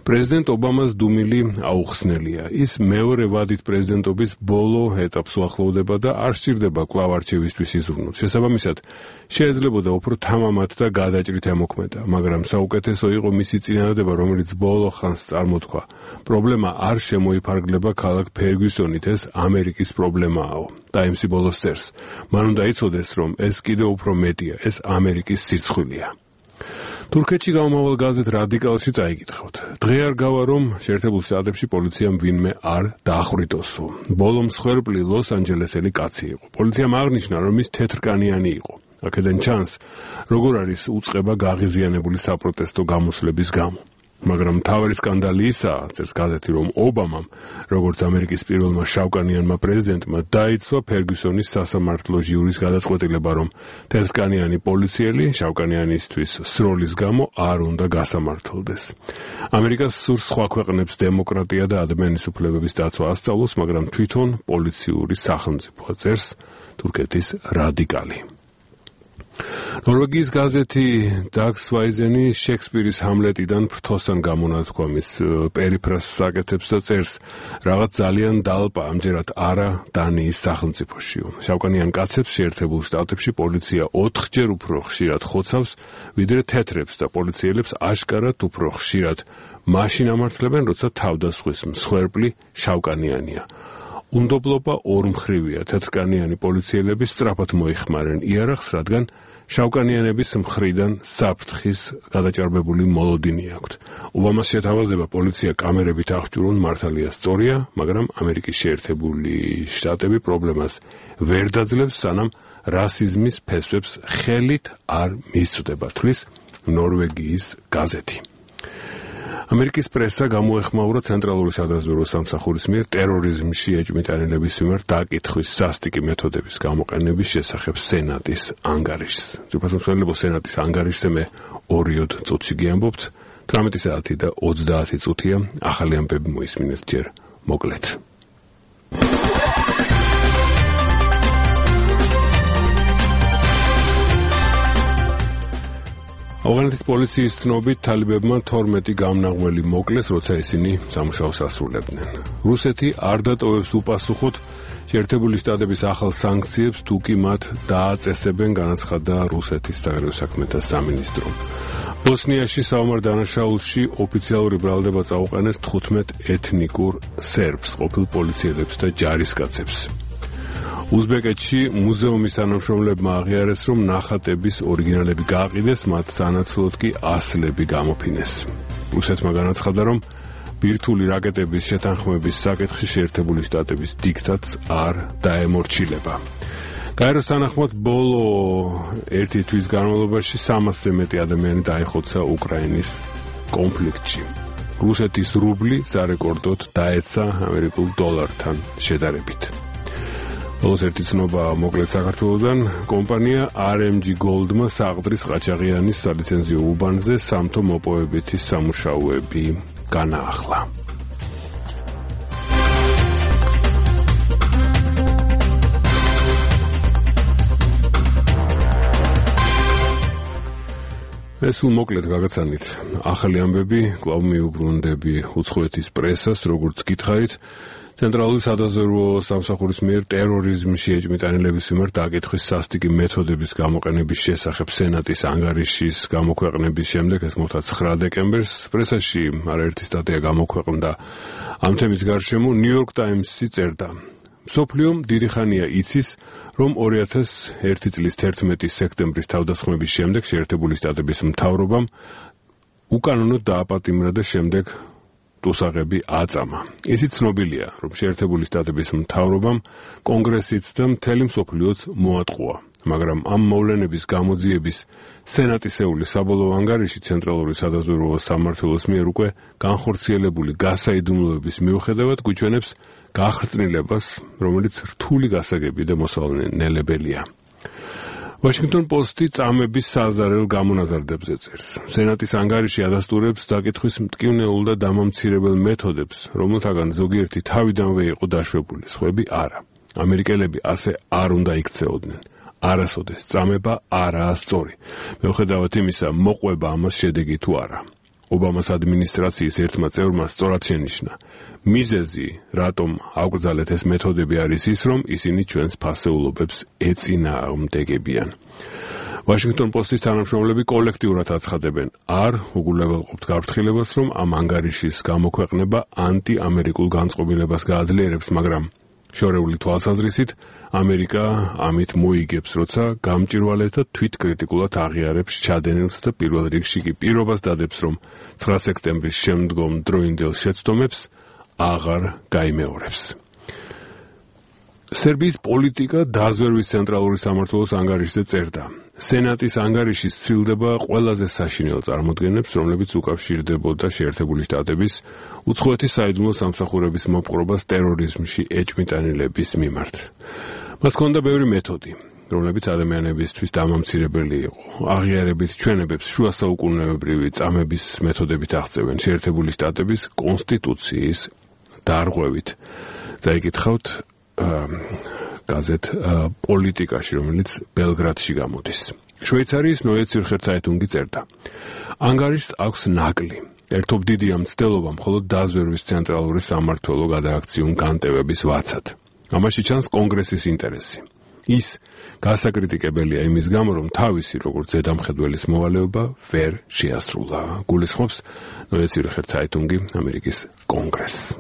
S2: პრეზიდენტ ობამას დუმილი აუხსნელია. ის მეორე ვადით პრეზიდენტობის ბოლო ეტაპს უახლოვდება და არ სჭირდება კვლავ არჩევისთვის იზრუნოს. შესაბამისად, შეიძლებოდა უფრო თამამად და გადაჭრით ემოქმედა, მაგრამ საუკეთესო იყო მისი წინადადება, რომელიც ბოლო ხანს წარმოთქვა. პრობლემა არ შემოიფარგლება ქალაქ ფერგუსონით, ეს ამერიკის პრობლემააო. ტაიმსი ბოლოს წერს, მან უნდა იცოდეს, რომ ეს კიდევ უფრო მეტია, ეს ამერიკის სირცხვილია. თურქეთში გამომავალ გაზეთ რადიკალში წაიკითხავთ. დღე არ გავა, რომ შეერთებულ შტატებში პოლიციამ ვინმე არ დაახვრიტოსო. ბოლო მსხვერპლი ლოს-ანჯელესელი კაცი იყო. პოლიციამ აღნიშნა, რომ ის თეთრკანიანი იყო. აქედან ჩანს, როგორ არის უწყება გაღიზიანებული საპროტესტო გამოსვლების გამო. მაგრამ მთავარი სკანდალი ისაა, წერს გაზეთი, რომ ობამამ, როგორც ამერიკის პირველმა შავკანიანმა პრეზიდენტმა, დაიცვა ფერგუსონის სასამართლო ჟიურის გადაწყვეტილება, რომ თეთრკანიანი პოლიციელი შავკანიანისთვის სროლის გამო არ უნდა გასამართლდეს. ამერიკას სურს სხვა ქვეყნებს დემოკრატია და ადამიანის უფლებების დაცვა ასწავლოს, მაგრამ თვითონ პოლიციური სახელმწიფოა, წერს თურქეთის რადიკალი. ნორვეგიის გაზეთი დაქს ვაიზენი შექსპირის ჰამლეტიდან ფრთოსან გამონათქვამის პერიფრას საკეთებს და წერს, რაღაც ძალიან დალპა ამჯერად არა დანიის სახელმწიფოშიო. შავკანიან კაცებს შეერთებულ შტატებში პოლიცია ოთხჯერ უფრო ხშირად ხოცავს, ვიდრე თეთრებს და პოლიციელებს აშკარად უფრო ხშირად მაშინ ამართლებენ, როცა თავდასხმის მსხვერპლი შავკანიანია. უნდობლობა ორმხრივია. თეთრკანიანი პოლიციელები სწრაფად მოიხმარენ იარაღს, რადგან შავკანიანების მხრიდან საფრთხის გადაჭარბებული მოლოდინი აქვთ. ობამას შეთავაზება პოლიცია კამერებით აღჭურონ მართალია სწორია, მაგრამ ამერიკის შეერთებული შტატები პრობლემას ვერ დაძლევს, სანამ რასიზმის ფესვებს ხელით არ მისწვდება, თვლის ნორვეგიის გაზეთი. ამერიკის პრესა გამოეხმაურა ცენტრალური სადაზვერვო სამსახურის მიერ ტერორიზმში ეჭვმიტანილების მიმართ დაკითხვის სასტიკი მეთოდების გამოყენების შესახებ სენატის ანგარიშს. ძირფასმცველებო სენატის ანგარიშზე მე ორიოდ წუთში გიამბობთ. თვრამეტი საათი და ოცდაათი წუთია. ახალი ამბები მოისმინეთ ჯერ მოკლედ. ავღანეთის პოლიციის ცნობით თალიბებმა თორმეტი გამნაღველი მოკლეს, როცა ისინი სამუშაოს ასრულებდნენ. რუსეთი არ დატოვებს უპასუხოდ შეერთებული შტატების ახალ სანქციებს, თუ კი მათ დააწესებენ, განაცხადა რუსეთის საგარეო საქმეთა სამინისტრო. ბოსნიაში საომარ დანაშაულში ოფიციალური ბრალდება წაუყენეს თხუთმეტ ეთნიკურ სერბს, ყოფილ პოლიციელებს და ჯარისკაცებს. უზბეკეთში მუზეუმის თანამშრომლებმა აღიარეს, რომ ნახატების ორიგინალები გააყიდეს, მათ სანაცვლოდ კი ასლები გამოფინეს. რუსეთმა განაცხადა, რომ ბირთვული რაკეტების შეთანხმების საკითხი შეერთებული შტატების დიქტატს არ დაემორჩილება. გაეროს თანახმად ბოლო ერთი თვის განმავლობაში სამასზე მეტი ადამიანი დაიხოცა უკრაინის კონფლიქტში. რუსეთის რუბლი სარეკორდოდ დაეცა ამერიკულ დოლართან შედარებით. ბოლოს ერთი ცნობა მოკლედ საქართველოდან. კომპანია არ ემ ჯი Gold-მა საყდრის ყაჩაღიანის სალიცენზიო უბანზე სამთო მოპოვებითი სამუშაოები განაახლა. ეს მოკლედ გაგაცანით ახალი ამბები, კვლავ მიუბრუნდები უცხოეთის პრესას, როგორც გითხარით. ცენტრალური სადაზვერვო სამსახურის მიერ ტერორიზმში ეჭვმიტანილების მიმართ დაკითხვის სასტიკი მეთოდების გამოყენების შესახებ სენატის ანგარიშის გამოქვეყნების შემდეგ, ეს მოხდა ცხრა დეკემბერს, პრესაში არაერთი სტატია გამოქვეყნდა ამ თემის გარშემო. ნიუ-იორკ ტაიმსი წერდა: მსოფლიომ დიდი ხანია იცის, რომ ორი ათას ერთი წლის თერთმეტი სექტემბრის თავდასხმების შემდეგ შეერთებული შტატების მთავრობამ უკანონოდ დააპატიმრა და შემდეგ ტუსაღები აწამა. ისიც ცნობილია, რომ შეერთებული შტატების მთავრობამ კონგრესიც და მთელი მსოფლიოც მოატყუა, მაგრამ ამ მოვლენების გამოძიების სენატისეული საბოლოო ანგარიში ცენტრალური სადაზვერვო სამმართველოს მიერ უკვე განხორციელებული გასაიდუმლოების მიუხედავად გვიჩვენებს გახრწნილებას, რომელიც რთული გასაგები და მოსალენელებელია. Washington Post-ი წამების საზარელ გამონაზარდებზე წერს. სენატის ანგარიში ადასტურებს დაკითხვის მტკივნეულ და დამამცირებელ მეთოდებს, რომელთაგან ზოგიერთი თავიდანვე იყო დაშვებული, სხვები არა. ამერიკელები ასე არ უნდა იქცეოდნენ. არასოდეს წამება არაა სწორი. მიუხედავად იმისა, მოყვება ამას შედეგი თუ არა. ობამას ადმინისტრაციის ერთმა წევრმა სწორად შენიშნა. მიზეზი, რატომ აუკრძალეთ ეს მეთოდები, არის ის, რომ ისინი ჩვენს ფასეულობებს ეწინააღმდეგებიან. Washington Post-ის თანამშრომლები კოლექტიურად აცხადებენ, არ უგულებელყოფთ გაფრთხილებას, რომ ამ ანგარიშის გამოქვეყნება ანტი-ამერიკულ განწყობილებას გააძლიერებს, მაგრამ შორეული თვალსაზრისით ამერიკა ამით მოიგებს, როცა გამჭირვალედ და თვითკრიტიკულად აღიარებს ჩადენილს და პირველ რიგში კი პირობას დადებს, რომ ცხრა სექტემბრის შემდგომ დროინდელ შეცდომებს აღარ გაიმეორებს. სერბიის პოლიტიკა დაზვერვის ცენტრალური სამმართველოს ანგარიშზე წერდა. სენატის ანგარიში სცილდება ყველაზე საშინელ წარმოდგენებს, რომლებიც უკავშირდებოდა შეერთებული შტატების უცხოეთის საიდუმლო სამსახურების მოპყრობას ტერორიზმში ეჭვმიტანილების მიმართ. მას ჰქონდა ბევრი მეთოდი, რომლებიც ადამიანებისთვის დამამცირებელი იყო. აღიარებით ჩვენებებს შუა საუკუნეებრივი წამების მეთოდებით აღწევენ შეერთებული შტატების კონსტიტუციის დარღვევით. წაიკითხავთ გაზეთ პოლიტიკაში, რომელიც ბელგრადში გამოდის. შვეიცარიის Neue Zürcher Zeitung-ი წერდა. ანგარიშს აქვს ნაკლი. ერთობ დიდია მცდელობა მხოლოდ დაზვერვის ცენტრალური სამმართველო გადააქციონ განტევების ვაცად. ამაში ჩანს კონგრესის ინტერესი. ის გასაკრიტიკებელია იმის გამო, რომ თავისი როგორც ზედამხედველის მოვალეობა ვერ შეასრულა. გულისხმობს Neue Zürcher Zeitung-ი ამერიკის კონგრესს.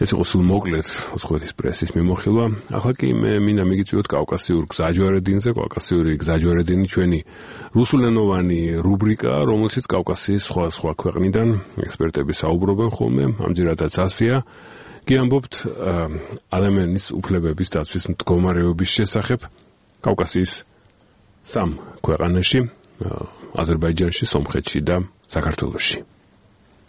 S2: ეს იყო სულ მოკლედ უცხოეთის პრესის მიმოხილვა. ახლა კი მე მინდა მიგიწვიოთ კავკასიურ გზაჯვარედინზე, კავკასიური გზაჯვარედინი ჩვენი რუსულენოვანი რუბრიკა, რომელშიც კავკასიის სხვა სხვა ქვეყნიდან ექსპერტები საუბრობენ ხოლმე, ამჯერადაც ასია. კი ამბობთ ადამიანის უფლებების დაცვის მდგომარეობის შესახებ კავკასიის სამ ქვეყანაში, Азербайджанში, Сомხეთში და საქართველოში.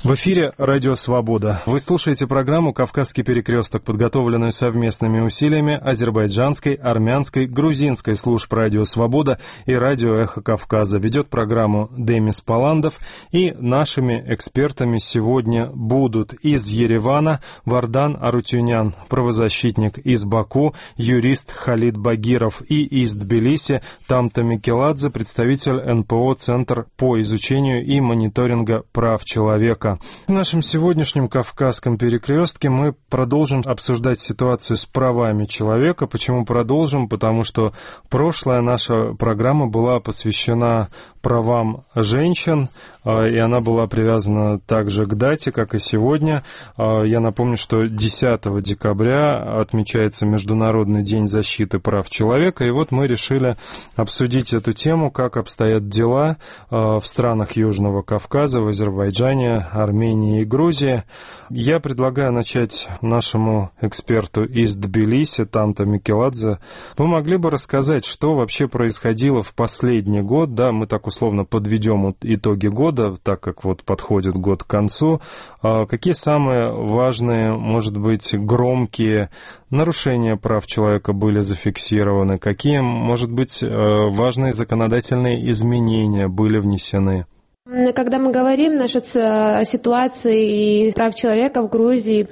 S20: В эфире «Радио Свобода». Вы слушаете программу «Кавказский перекресток», подготовленную совместными усилиями азербайджанской, армянской, грузинской служб «Радио Свобода» и «Радио Эхо Кавказа». Ведет программу Демис Паландов, и нашими экспертами сегодня будут из Еревана Вардан Арутюнян, правозащитник, из Баку юрист Халид Багиров, и из Тбилиси Тамта Микеладзе, представитель эн пэ о «Центр по изучению и мониторинга прав человека». В нашем сегодняшнем Кавказском перекрестке мы продолжим обсуждать ситуацию с правами человека. Почему продолжим? Потому что прошлая наша программа была посвящена правам женщин, и она была привязана также к дате, как и сегодня. Я напомню, что десятого декабря отмечается Международный день защиты прав человека, и вот мы решили обсудить эту тему, как обстоят дела в странах Южного Кавказа, в Азербайджане, Армении и Грузии. Я предлагаю начать нашему эксперту из Тбилиси, Тамта Микеладзе. Вы могли бы рассказать, что вообще происходило в последний год? Да, мы так условно подведем итоги года, так как вот подходит год к концу. Какие самые важные, может быть, громкие нарушения прав человека были зафиксированы? Какие, может быть, важные законодательные изменения были внесены?
S21: Когда мы говорим насчет ситуации и прав человека в Грузии,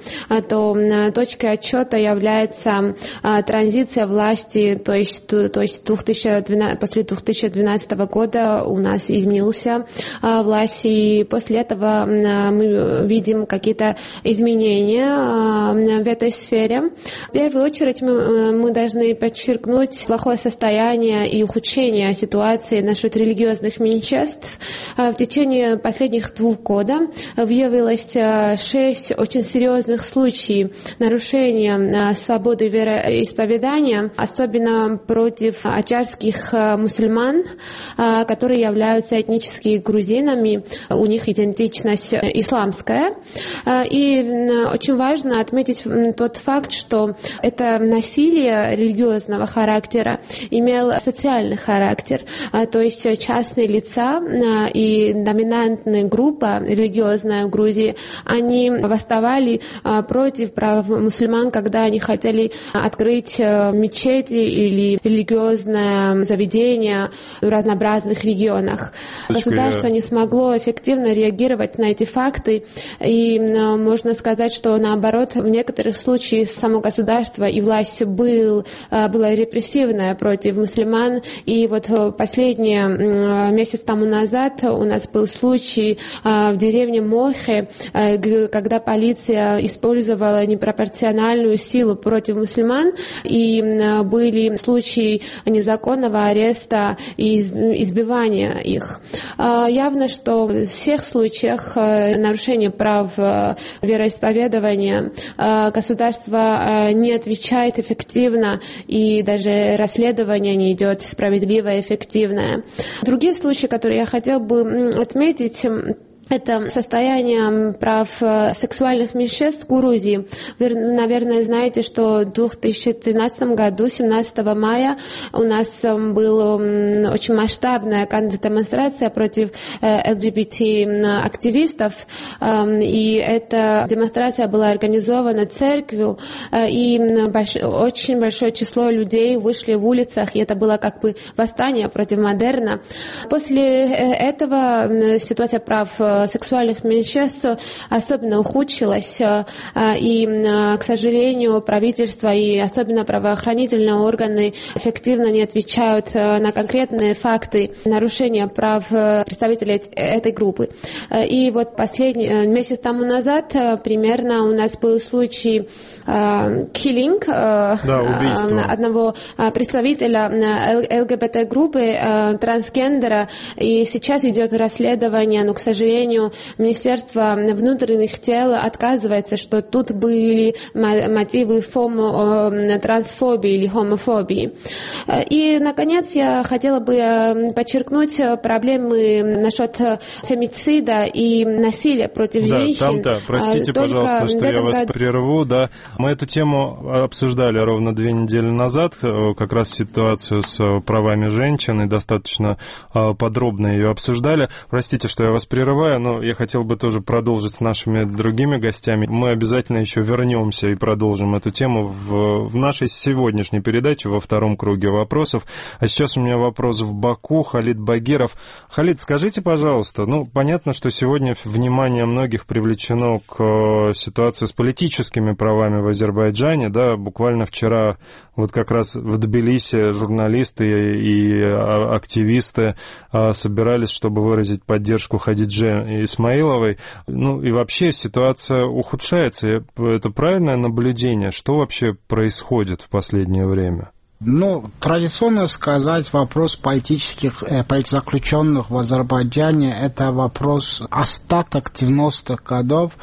S21: то точкой отсчета является транзиция власти, то есть, то есть две тысячи двенадцатого, после две тысячи двенадцатого года у нас изменился власть, и после этого мы видим какие-то изменения в этой сфере. В первую очередь мы, мы должны подчеркнуть плохое состояние и ухудшение ситуации насчет религиозных меньшинств. В течение последних двух года выявилось шесть очень серьезных случаев нарушения свободы вероисповедания, особенно против ачарских мусульман, которые являются этническими грузинами, у них идентичность исламская. И очень важно отметить тот факт, что это насилие религиозного характера имело социальный характер, то есть частные лица и доминантная группа религиозная в Грузии, они восставали против прав мусульман, когда они хотели открыть мечети или религиозное заведение в разнообразных регионах. Государство не смогло эффективно реагировать на эти факты, и можно сказать, что наоборот, в некоторых случаях само государство и власть был, была репрессивная против мусульман, и вот последний месяц тому назад у нас был случай в деревне Мохе, когда полиция использовала непропорциональную силу против мусульман, и были случаи незаконного ареста и избивания их. Явно, что в всех случаях нарушения прав вероисповедания государство не отвечает эффективно, и даже расследование не идет справедливое и эффективное. Другие случаи, которые я хотела бы отметить, это состояние прав сексуальных меньшинств в Грузии. Вы, наверное, знаете, что в две тысячи тринадцатом году, семнадцатого мая, у нас была очень масштабная демонстрация против эл джи би ти-активистов, и эта демонстрация была организована церковью, и больш... очень большое число людей вышли в улицах, и это было как бы восстание против модерна. После этого ситуация прав сексуальных меньшинств особенно ухудшилась, и, к сожалению, правительство и особенно правоохранительные органы эффективно не отвечают на конкретные факты нарушения прав представителей этой группы. И вот последний месяц тому назад примерно у нас был случай киллинг да, одного представителя эл гэ бэ тэ группы трансгендера, и сейчас идет расследование, но, к сожалению, сожалению, Министерство внутренних дел отказывается, что тут были мотивы фомо, трансфобии или хомофобии. И, наконец, я хотела бы подчеркнуть проблемы насчет фемицида и насилия против
S20: да,
S21: женщин.
S20: Там-то, простите, Только пожалуйста, что я вас году... прерву. Да. Мы эту тему обсуждали ровно две недели назад, как раз ситуацию с правами женщин, и достаточно подробно ее обсуждали. Простите, что я вас прерываю, но я хотел бы тоже продолжить с нашими другими гостями. Мы обязательно еще вернемся и продолжим эту тему в, в нашей сегодняшней передаче во втором круге вопросов. А сейчас у меня вопрос в Баку. Халид Багиров. Халид, скажите, пожалуйста, ну, понятно, что сегодня внимание многих привлечено к ситуации с политическими правами в Азербайджане, да, буквально вчера вот как раз в Тбилиси журналисты и активисты собирались, чтобы выразить поддержку Хадидже Исмаиловой. Ну и вообще ситуация ухудшается. Это правильное наблюдение? Что вообще происходит в последнее время?
S1: Ну, традиционно сказать, вопрос политических э, политзаключенных в Азербайджане – это вопрос остаток девяностых годов.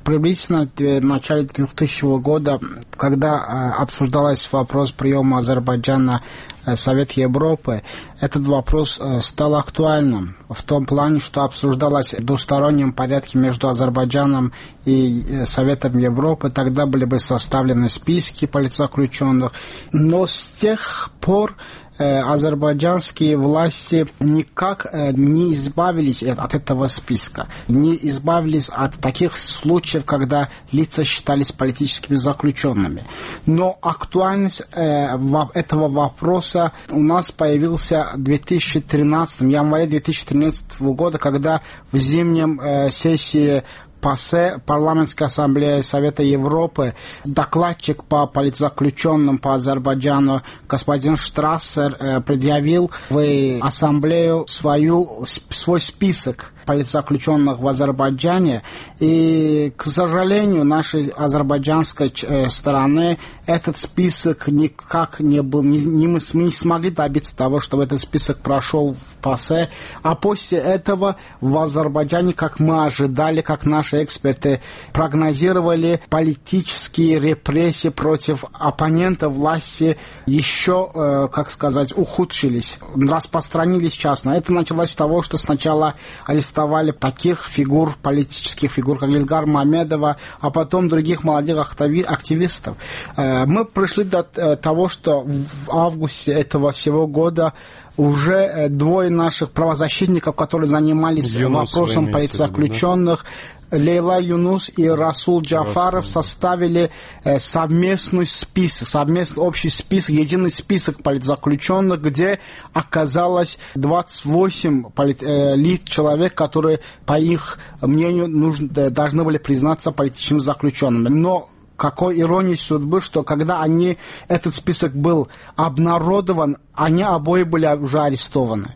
S1: Приблизительно в начале двухтысячного года, когда э, обсуждался вопрос приема Азербайджана в Совет Европы, этот вопрос э, стал актуальным в том плане, что обсуждалось в двустороннем порядке между Азербайджаном и э, Советом Европы. Тогда были бы составлены списки политзаключенных. Но с тех пор азербайджанские власти никак не избавились от этого списка, не избавились от таких случаев, когда лица считались политическими заключенными. Но актуальность этого вопроса у нас появился в две тысячи тринадцатом, январе две тысячи тринадцатого года, когда в зимнем сессии ПАСЕ, Парламентская ассамблея Совета Европы, докладчик по политзаключенным по Азербайджану господин Штрассер предъявил в ассамблею свою, свой список политзаключенных в Азербайджане, и, к сожалению, нашей азербайджанской стороны этот список никак не был, не, не, мы не смогли добиться того, чтобы этот список прошел в ПАСЕ, а после этого в Азербайджане, как мы ожидали, как наши эксперты прогнозировали, политические репрессии против оппонентов власти еще, как сказать, ухудшились, распространились частно. Это началось с того, что сначала арестовали таких фигур, политических фигур, как Ильгар Мамедова, а потом других молодых активистов. Мы пришли до того, что в августе этого всего года уже двое наших правозащитников, которые занимались Юнус, вопросом политзаключенных, да? Лейла Юнус и Расул Джафаров составили э, совместный список, совместный общий список, единый список политзаключенных, где оказалось двадцать восемь полит, э, лиц, человек, которые, по их мнению, нужно, э, должны были признаться политическими заключенными. Но какой иронией судьбы, что когда они, этот список был обнародован, они обои были уже арестованы.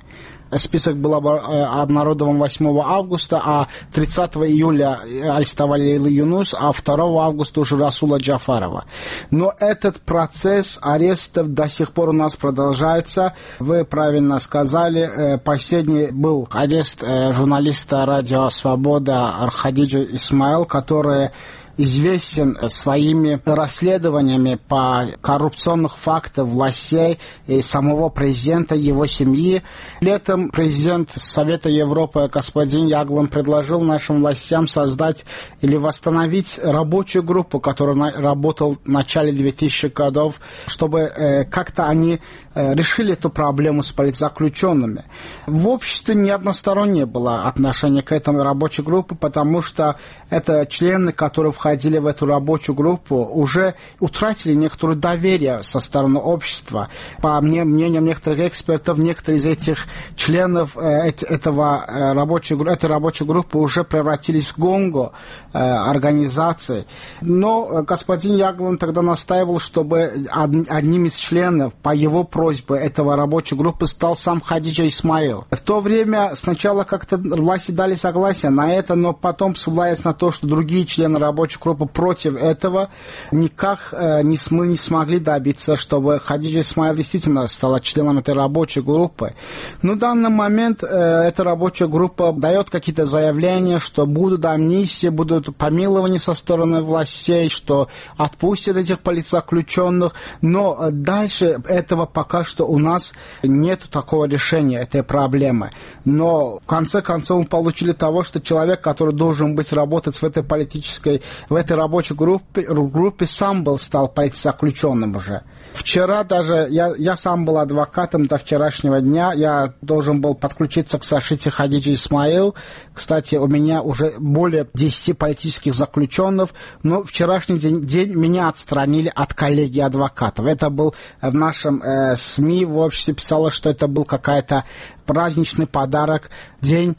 S1: Список был обнародован восьмого августа, а тридцатого июля арестовали Лейлу Юнус, а второго августа уже Расула Джафарова. Но этот процесс арестов до сих пор у нас продолжается. Вы правильно сказали, последний был арест журналиста радио «Свобода» Хадиджи Исмаил, который известен своими расследованиями по коррупционных фактах властей и самого президента, его семьи. Летом президент Совета Европы господин Яглан предложил нашим властям создать или восстановить рабочую группу, которая работала в начале двухтысячных годов, чтобы э, как-то они э, решили эту проблему с политзаключенными. В обществе неодностороннее было отношение к этой рабочей группе, потому что это члены, которые входили входили в эту рабочую группу, уже утратили некоторое доверие со стороны общества. По мнениям некоторых экспертов, некоторые из этих членов э, этого, э, рабочей, этой рабочей группы уже превратились в гонго э, организации. Но господин Яглан тогда настаивал, чтобы одним из членов по его просьбе этого рабочей группы стал сам Хадиджа Исмаил. В то время сначала как-то власти дали согласие на это, но потом ссылаясь на то, что другие члены рабочей рабочая группа против этого. Никак э, не, мы не смогли добиться, чтобы Хадиджа Исмаил действительно стала членом этой рабочей группы. Но в данный момент э, эта рабочая группа дает какие-то заявления, что будут амнистии, будут помилования со стороны властей, что отпустят этих политзаключенных. Но э, дальше этого пока что у нас нет такого решения этой проблемы. Но в конце концов мы получили того, что человек, который должен быть работать в этой политической, в этой рабочей группе, группе сам был, стал политзаключенным уже. Вчера даже, я, я сам был адвокатом до вчерашнего дня, я должен был подключиться к защите Хадиджи Исмаил. Кстати, у меня уже более десяти политических заключенных, но вчерашний день, день меня отстранили от коллегии адвокатов. Это был в нашем э, СМИ, в обществе писало, что это был какой-то праздничный подарок, день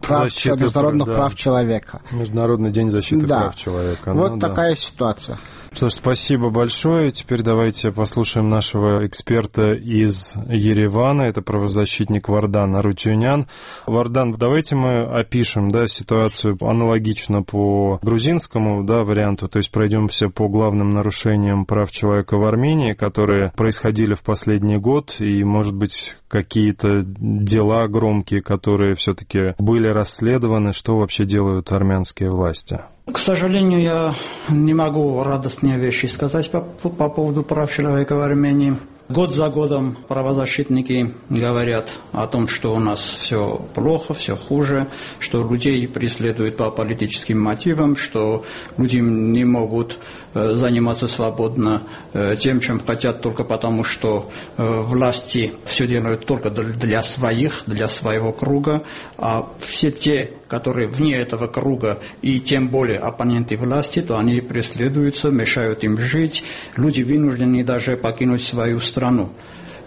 S1: прав, защиты, международных да. прав человека.
S20: Международный день защиты
S1: да.
S20: прав человека.
S1: Вот
S20: ну,
S1: такая
S20: да.
S1: ситуация.
S20: Что ж, спасибо большое. Теперь давайте послушаем нашего эксперта из Еревана. Это правозащитник Вардан Арутюнян. Вардан, давайте мы опишем да, ситуацию аналогично по грузинскому да, варианту, то есть пройдемся по главным нарушениям прав человека в Армении, которые происходили в последний год, и, может быть, какие-то дела громкие, которые все-таки были расследованы, что вообще делают армянские власти?
S6: К сожалению, я не могу радостные вещи сказать по, по поводу прав человека в Армении. Год за годом правозащитники говорят о том, что у нас все плохо, все хуже, что людей преследуют по политическим мотивам, что люди не могут заниматься свободно тем, чем хотят, только потому, что власти все делают только для своих, для своего круга, а все те, которые вне этого круга и тем более оппоненты власти, то они преследуются, мешают им жить. Люди вынуждены даже покинуть свою страну.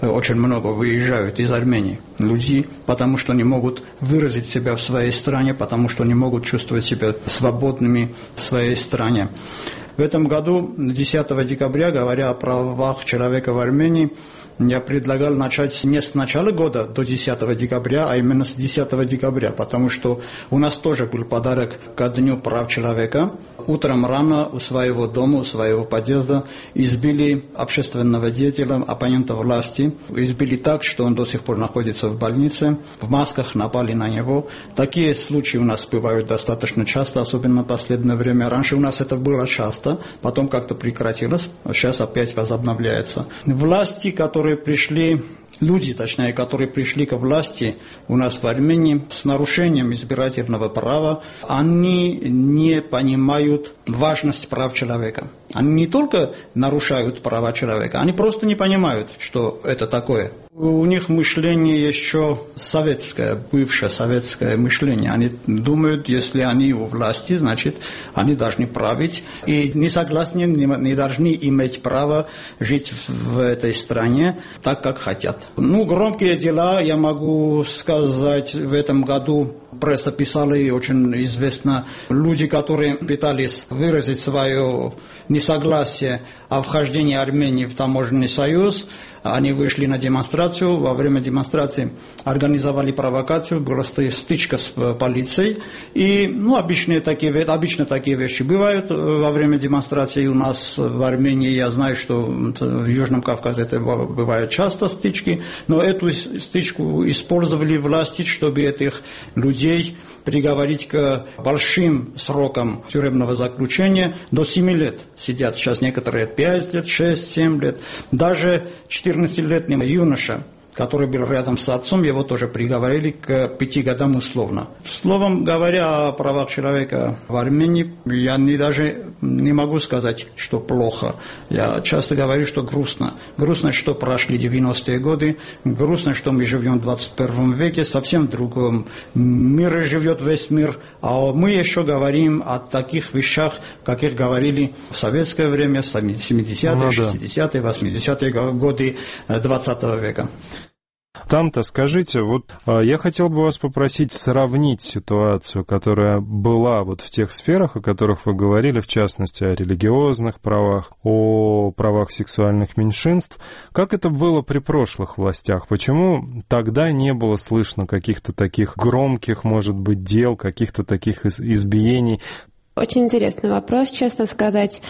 S6: Очень много выезжают из Армении люди, потому что не могут выразить себя в своей стране, потому что не могут чувствовать себя свободными в своей стране. В этом году, десятого декабря, говоря о правах человека в Армении, я предлагал начать не с начала года до десятого декабря, а именно с десятого декабря, потому что у нас тоже был подарок ко Дню прав человека. Утром рано у своего дома, у своего подъезда избили общественного деятеля, оппонента власти. Избили так, что он до сих пор находится в больнице. В масках напали на него. Такие случаи у нас бывают достаточно часто, особенно в последнее время. Раньше у нас это было часто, потом как-то прекратилось, а сейчас опять возобновляется. Власти, которые пришли, люди, точнее, которые пришли к власти у нас в Армении с нарушением избирательного права, они не понимают важность прав человека. Они не только нарушают права человека, они просто не понимают, что это такое. У них мышление еще советское, бывшее советское мышление. Они думают, если они у власти, значит, они должны править. И не согласны, не должны иметь право жить в этой стране так, как хотят. Ну, громкие дела, я могу сказать, в этом году пресса писала, и очень известно, люди, которые пытались выразить свое несогласие о вхождении Армении в таможенный союз, они вышли на демонстрацию, во время демонстрации организовали провокацию, была стычка с полицией. И, ну, обычные такие, обычно такие вещи бывают во время демонстрации у нас в Армении. Я знаю, что в Южном Кавказе это бывают часто стычки, но эту стычку использовали власти, чтобы этих людей приговорить к большим срокам тюремного заключения. До семи лет сидят сейчас некоторые пять лет, шесть, семь лет. Даже четырнадцатилетний юноша, который был рядом с отцом, его тоже приговорили к пяти годам условно. Словом говоря о правах человека в Армении, я не, даже не могу сказать, что плохо. Я часто говорю, что грустно. Грустно, что прошли девяностые годы, грустно, что мы живем в двадцать первом веке, совсем в другом мире живет весь мир, а мы еще говорим о таких вещах, каких говорили в советское время, семидесятые, шестидесятые, восьмидесятые годы двадцатого века.
S20: Там-то скажите, вот я хотел бы вас попросить сравнить ситуацию, которая была вот в тех сферах, о которых вы говорили, в частности, о религиозных правах, о правах сексуальных меньшинств. Как это было при прошлых властях? Почему тогда не было слышно каких-то таких громких, может быть, дел, каких-то таких избиений?
S21: Очень интересный вопрос, честно сказать.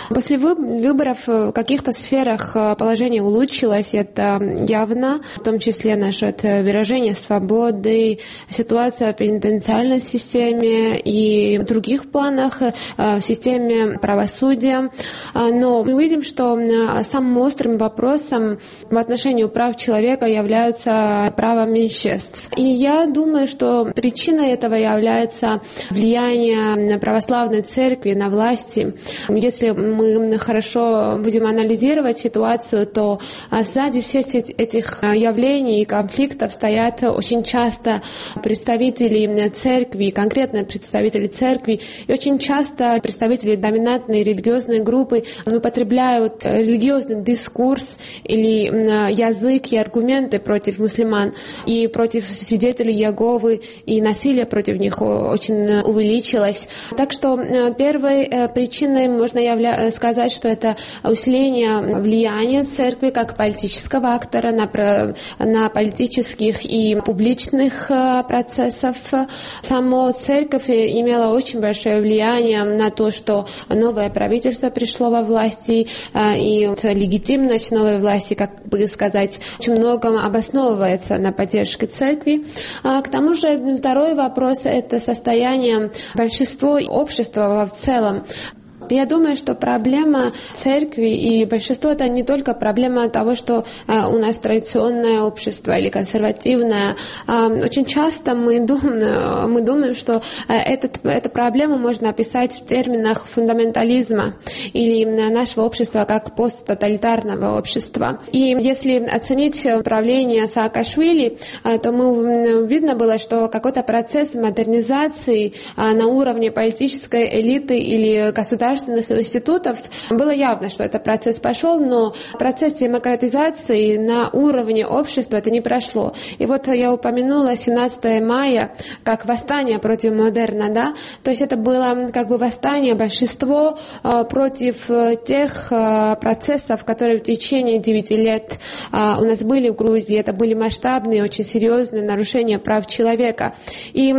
S21: После выборов в каких-то сферах положение улучшилось, это явно, в том числе насчет выражения свободы, ситуация в пенитенциальной системе и в других планах, в системе правосудия. Но мы видим, что самым острым вопросом в отношении прав человека являются права меньшинств. И я думаю, что причиной этого является влияние православной церкви на власти. Если мы хорошо будем анализировать ситуацию, то сзади всех этих явлений и конфликтов стоят очень часто представители церкви, конкретно представители церкви, и очень часто представители доминантной религиозной группы употребляют религиозный дискурс или язык и аргументы против мусульман и против свидетелей Иеговы, и насилие против них очень увеличилось. Так что первой причиной можно явля... сказать, что это усиление влияния церкви как политического актора на, на политических и публичных процессов. Сама церковь имела очень большое влияние на то, что новое правительство пришло во власти, и легитимность новой власти, как бы сказать, очень многом обосновывается на поддержке церкви. К тому же второй вопрос – это состояние большинства общества в целом. Я думаю, что проблема церкви и большинства — это не только проблема того, что э, у нас традиционное общество или консервативное. Э, очень часто мы думаем, мы думаем что э, этот, эту проблему можно описать в терминах фундаментализма или нашего общества как посттоталитарного общества. И если оценить правление Саакашвили, э, то мы, видно было, что какой-то процесс модернизации э, на уровне политической элиты или государства институтов, было явно, что этот процесс пошел, но процесс демократизации на уровне общества это не прошло. И вот я упомянула семнадцатое мая как восстание против модерна, да, то есть это было как бы восстание большинства против тех процессов, которые в течение девяти лет у нас были в Грузии. Это были масштабные, очень серьезные нарушения прав человека. И,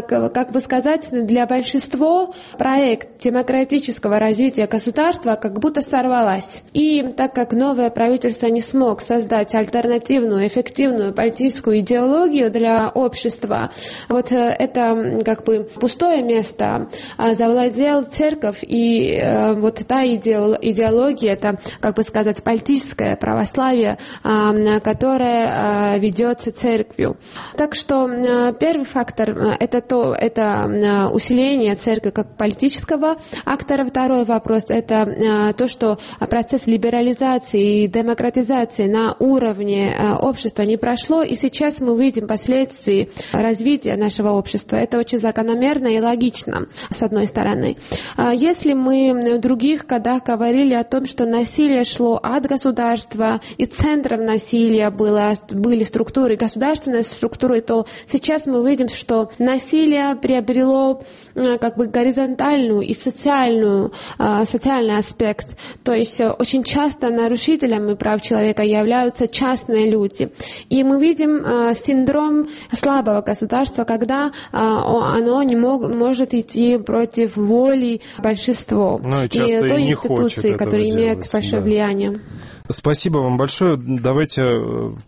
S21: как бы сказать, для большинства проект демократического развития государства как будто сорвалась. И так как новое правительство не смог создать альтернативную, эффективную политическую идеологию для общества, вот это как бы пустое место завладел церковь, и вот та идеология, это, как бы сказать, политическое православие, которое ведется церковью. Так что первый фактор это то, это усиление церкви как политического актора. Второй вопрос – это э, то, что процесс либерализации и демократизации на уровне э, общества не прошло, и сейчас мы видим последствия развития нашего общества. Это очень закономерно и логично, с одной стороны. А если мы в других годах говорили о том, что насилие шло от государства, и центром насилия было, были структуры, государственные структуры, то сейчас мы видим, что насилие приобрело э, как бы горизонтальную и социальную социальный аспект. То есть очень часто нарушителями прав человека являются частные люди. И мы видим э, синдром слабого государства, когда э, оно не мог, может идти против воли большинства.
S20: Ну, и,
S21: и той институции, которая имеет большое да. влияние.
S20: Спасибо вам большое. Давайте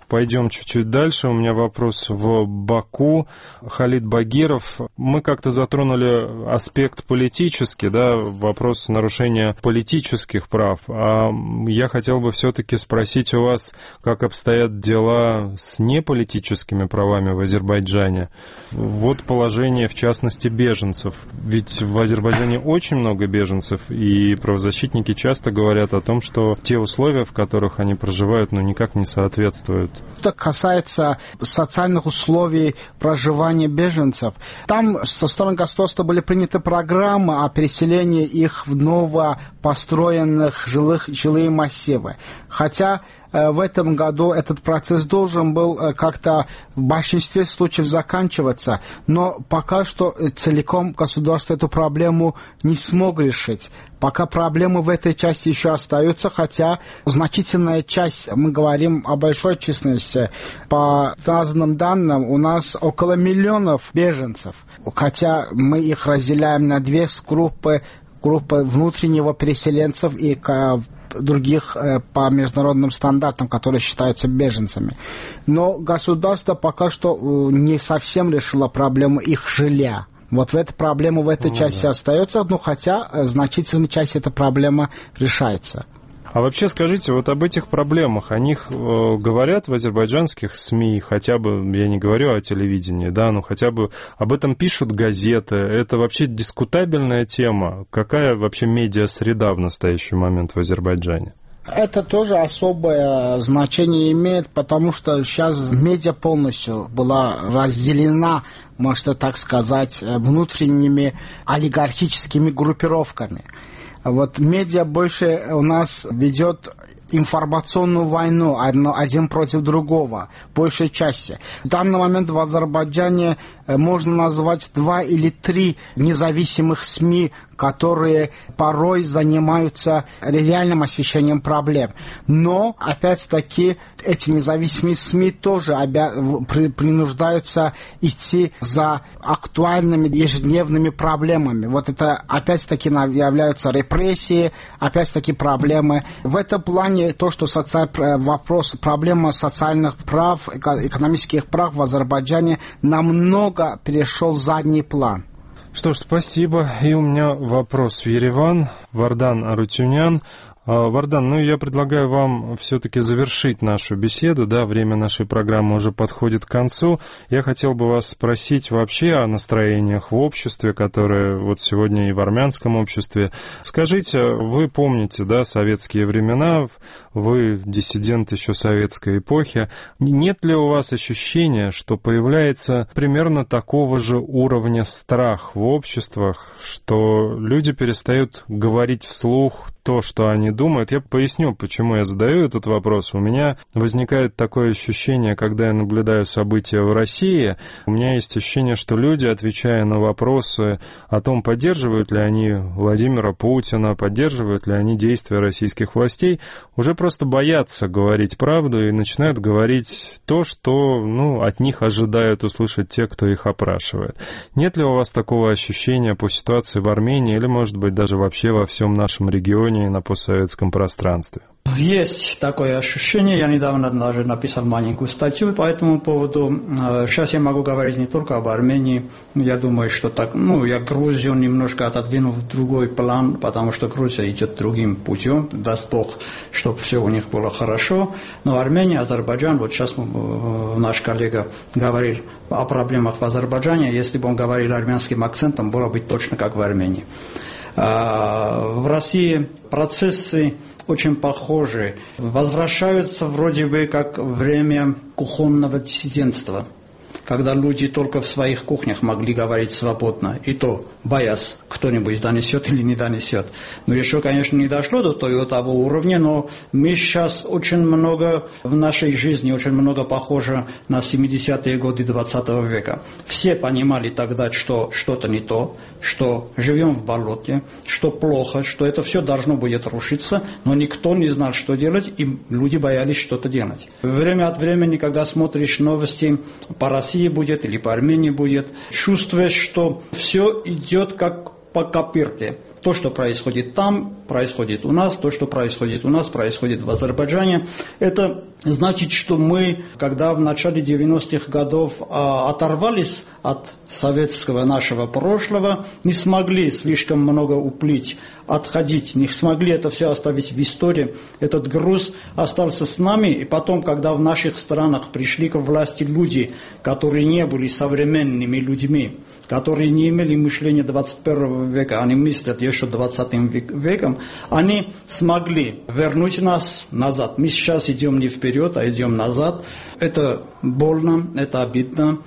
S20: пойдем чуть-чуть дальше. У меня вопрос в Баку. Халид Багиров. Мы как-то затронули аспект политический, да, вопрос нарушения политических прав. А я хотел бы все-таки спросить у вас, как обстоят дела с неполитическими правами в Азербайджане. Вот положение, в частности, беженцев. Ведь в Азербайджане очень много беженцев, и правозащитники часто говорят о том, что те условия, в которых в которых они проживают, но никак не соответствуют.
S1: Что касается социальных условий проживания беженцев, там со стороны государства были приняты программы о переселении их в новопостроенных жилых, жилые массивы. Хотя в этом году этот процесс должен был как-то в большинстве случаев заканчиваться, но пока что целиком государство эту проблему не смог решить. Пока проблемы в этой части еще остаются, хотя значительная часть, мы говорим о большой численности, по разным данным у нас около миллионов беженцев, хотя мы их разделяем на две группы, группы внутреннего переселенцев и других по международным стандартам, которые считаются беженцами. Но государство пока что не совсем решило проблему их жилья. Вот в этой проблема в этой ну, части да. остается, но хотя значительная часть этой проблемы решается.
S20: А вообще скажите, вот об этих проблемах, о них э, говорят в азербайджанских СМИ, хотя бы, я не говорю о телевидении, да, но хотя бы об этом пишут газеты, это вообще дискутабельная тема. Какая вообще медиа-среда в настоящий момент в Азербайджане?
S1: Это тоже особое значение имеет, потому что сейчас медиа полностью была разделена, можно так сказать, внутренними олигархическими группировками. Вот медиа больше у нас ведет информационную войну один против другого, большей части. В данный момент в Азербайджане можно назвать два или три независимых СМИ, которые порой занимаются реальным освещением проблем. Но, опять-таки, эти независимые СМИ тоже обя... принуждаются идти за актуальными ежедневными проблемами. Вот это, опять-таки, являются репрессии, опять-таки, проблемы. В этом плане то, что соци... вопрос, проблема социальных прав, экономических прав в Азербайджане намного перешел в задний план.
S20: Что ж, спасибо. И у меня вопрос в Ереван. Вардан Арутюнян. Вардан, ну я предлагаю вам все-таки завершить нашу беседу, да, время нашей программы уже подходит к концу. Я хотел бы вас спросить вообще о настроениях в обществе, которые вот сегодня и в армянском обществе. Скажите, вы помните, да, советские времена, вы диссидент еще советской эпохи. Нет ли у вас ощущения, что появляется примерно такого же уровня страх в обществах, что люди перестают говорить вслух то, что они думают? Я поясню, почему я задаю этот вопрос. У меня возникает такое ощущение, когда я наблюдаю события в России, у меня есть ощущение, что люди, отвечая на вопросы о том, поддерживают ли они Владимира Путина, поддерживают ли они действия российских властей, уже просто боятся говорить правду и начинают говорить то, что, ну, от них ожидают услышать те, кто их опрашивает. Нет ли у вас такого ощущения по ситуации в Армении или, может быть, даже вообще во всем нашем регионе и на постсоветском пространстве?
S6: Есть такое ощущение. Я недавно даже написал маленькую статью по этому поводу. Сейчас я могу говорить не только об Армении. Я думаю, что так, ну, я Грузию немножко отодвину в другой план, потому что Грузия идет другим путем. Даст Бог, чтобы все у них было хорошо. Но Армения, Азербайджан, вот сейчас наш коллега говорил о проблемах в Азербайджане. Если бы он говорил армянским акцентом, было бы точно как в Армении. В России процессы очень похожи. Возвращаются вроде бы как время кухонного диссидентства, когда люди только в своих кухнях могли говорить свободно, и то боясь, кто-нибудь донесет или не донесет. Но еще, конечно, не дошло до того уровня, но мы сейчас очень много в нашей жизни, очень много похоже на семидесятые годы двадцатого века. Все понимали тогда, что что-то не то, что живем в болоте, что плохо, что это все должно будет рушиться, но никто не знал, что делать, и люди боялись что-то делать. Время от времени, когда смотришь новости по России будет или по Армении будет, чувствуешь, что все идет как по копирке. То, что происходит там, происходит у нас, то, что происходит у нас, происходит в Азербайджане. Это значит, что мы, когда в начале девяностых годов а, оторвались от советского нашего прошлого, не смогли слишком много уплыть, отходить, не смогли это все оставить в истории. Этот груз остался с нами, и потом, когда в наших странах пришли к власти люди, которые не были современными людьми, которые не имели мышления двадцать первого века, они мыслят еще двадцатым веком, они смогли вернуть нас назад. Мы сейчас идем не вперед, а идем назад. Это больно, это обидно.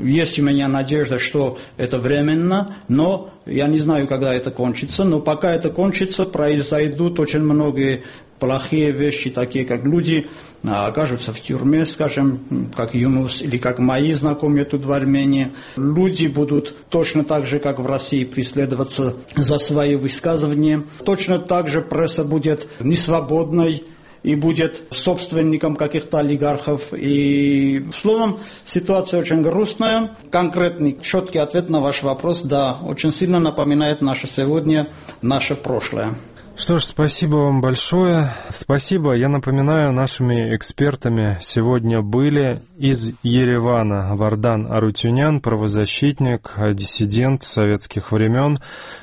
S6: Есть у меня надежда, что это временно, но я не знаю, когда это кончится, но пока это кончится, произойдут очень многие плохие вещи, такие как люди окажутся в тюрьме, скажем, как Юнус или как мои знакомые тут в Армении. Люди будут точно так же, как в России, преследоваться за свои высказывания. Точно так же пресса будет несвободной и будет собственником каких-то олигархов. И, словом, ситуация очень грустная. Конкретный, четкий ответ на ваш вопрос, да, очень сильно напоминает наше сегодня, наше прошлое.
S20: Что ж, спасибо вам большое. Спасибо. Я напоминаю, нашими экспертами сегодня были из Еревана Вардан Арутюнян, правозащитник, диссидент советских времен,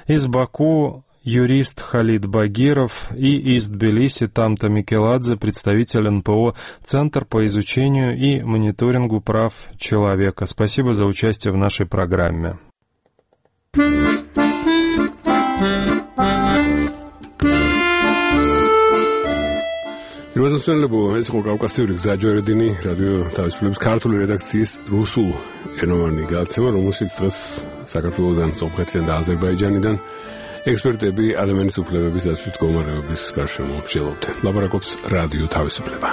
S20: из Баку юрист Халид Багиров и из Тбилиси Тамта Микеладзе, представитель эн пэ о «Центр по изучению и мониторингу прав человека». Спасибо за участие в нашей программе.
S2: Პირველსასწავლებლო ეს იყო კავკასიური გზაჯვარედინი რადიო თავისუფლების ქართული რედაქციის რუსულ ენოვანი გადაცემა, რომელშიც დღეს საქართველოსთან, სომხეთიდან და აზერბაიჯანიდან ექსპერტები ადამიანის უფლებების დაცვის მდგომარეობის გარშემო მსჯელობდნენ. ლაპარაკობს რადიო თავისუფლება.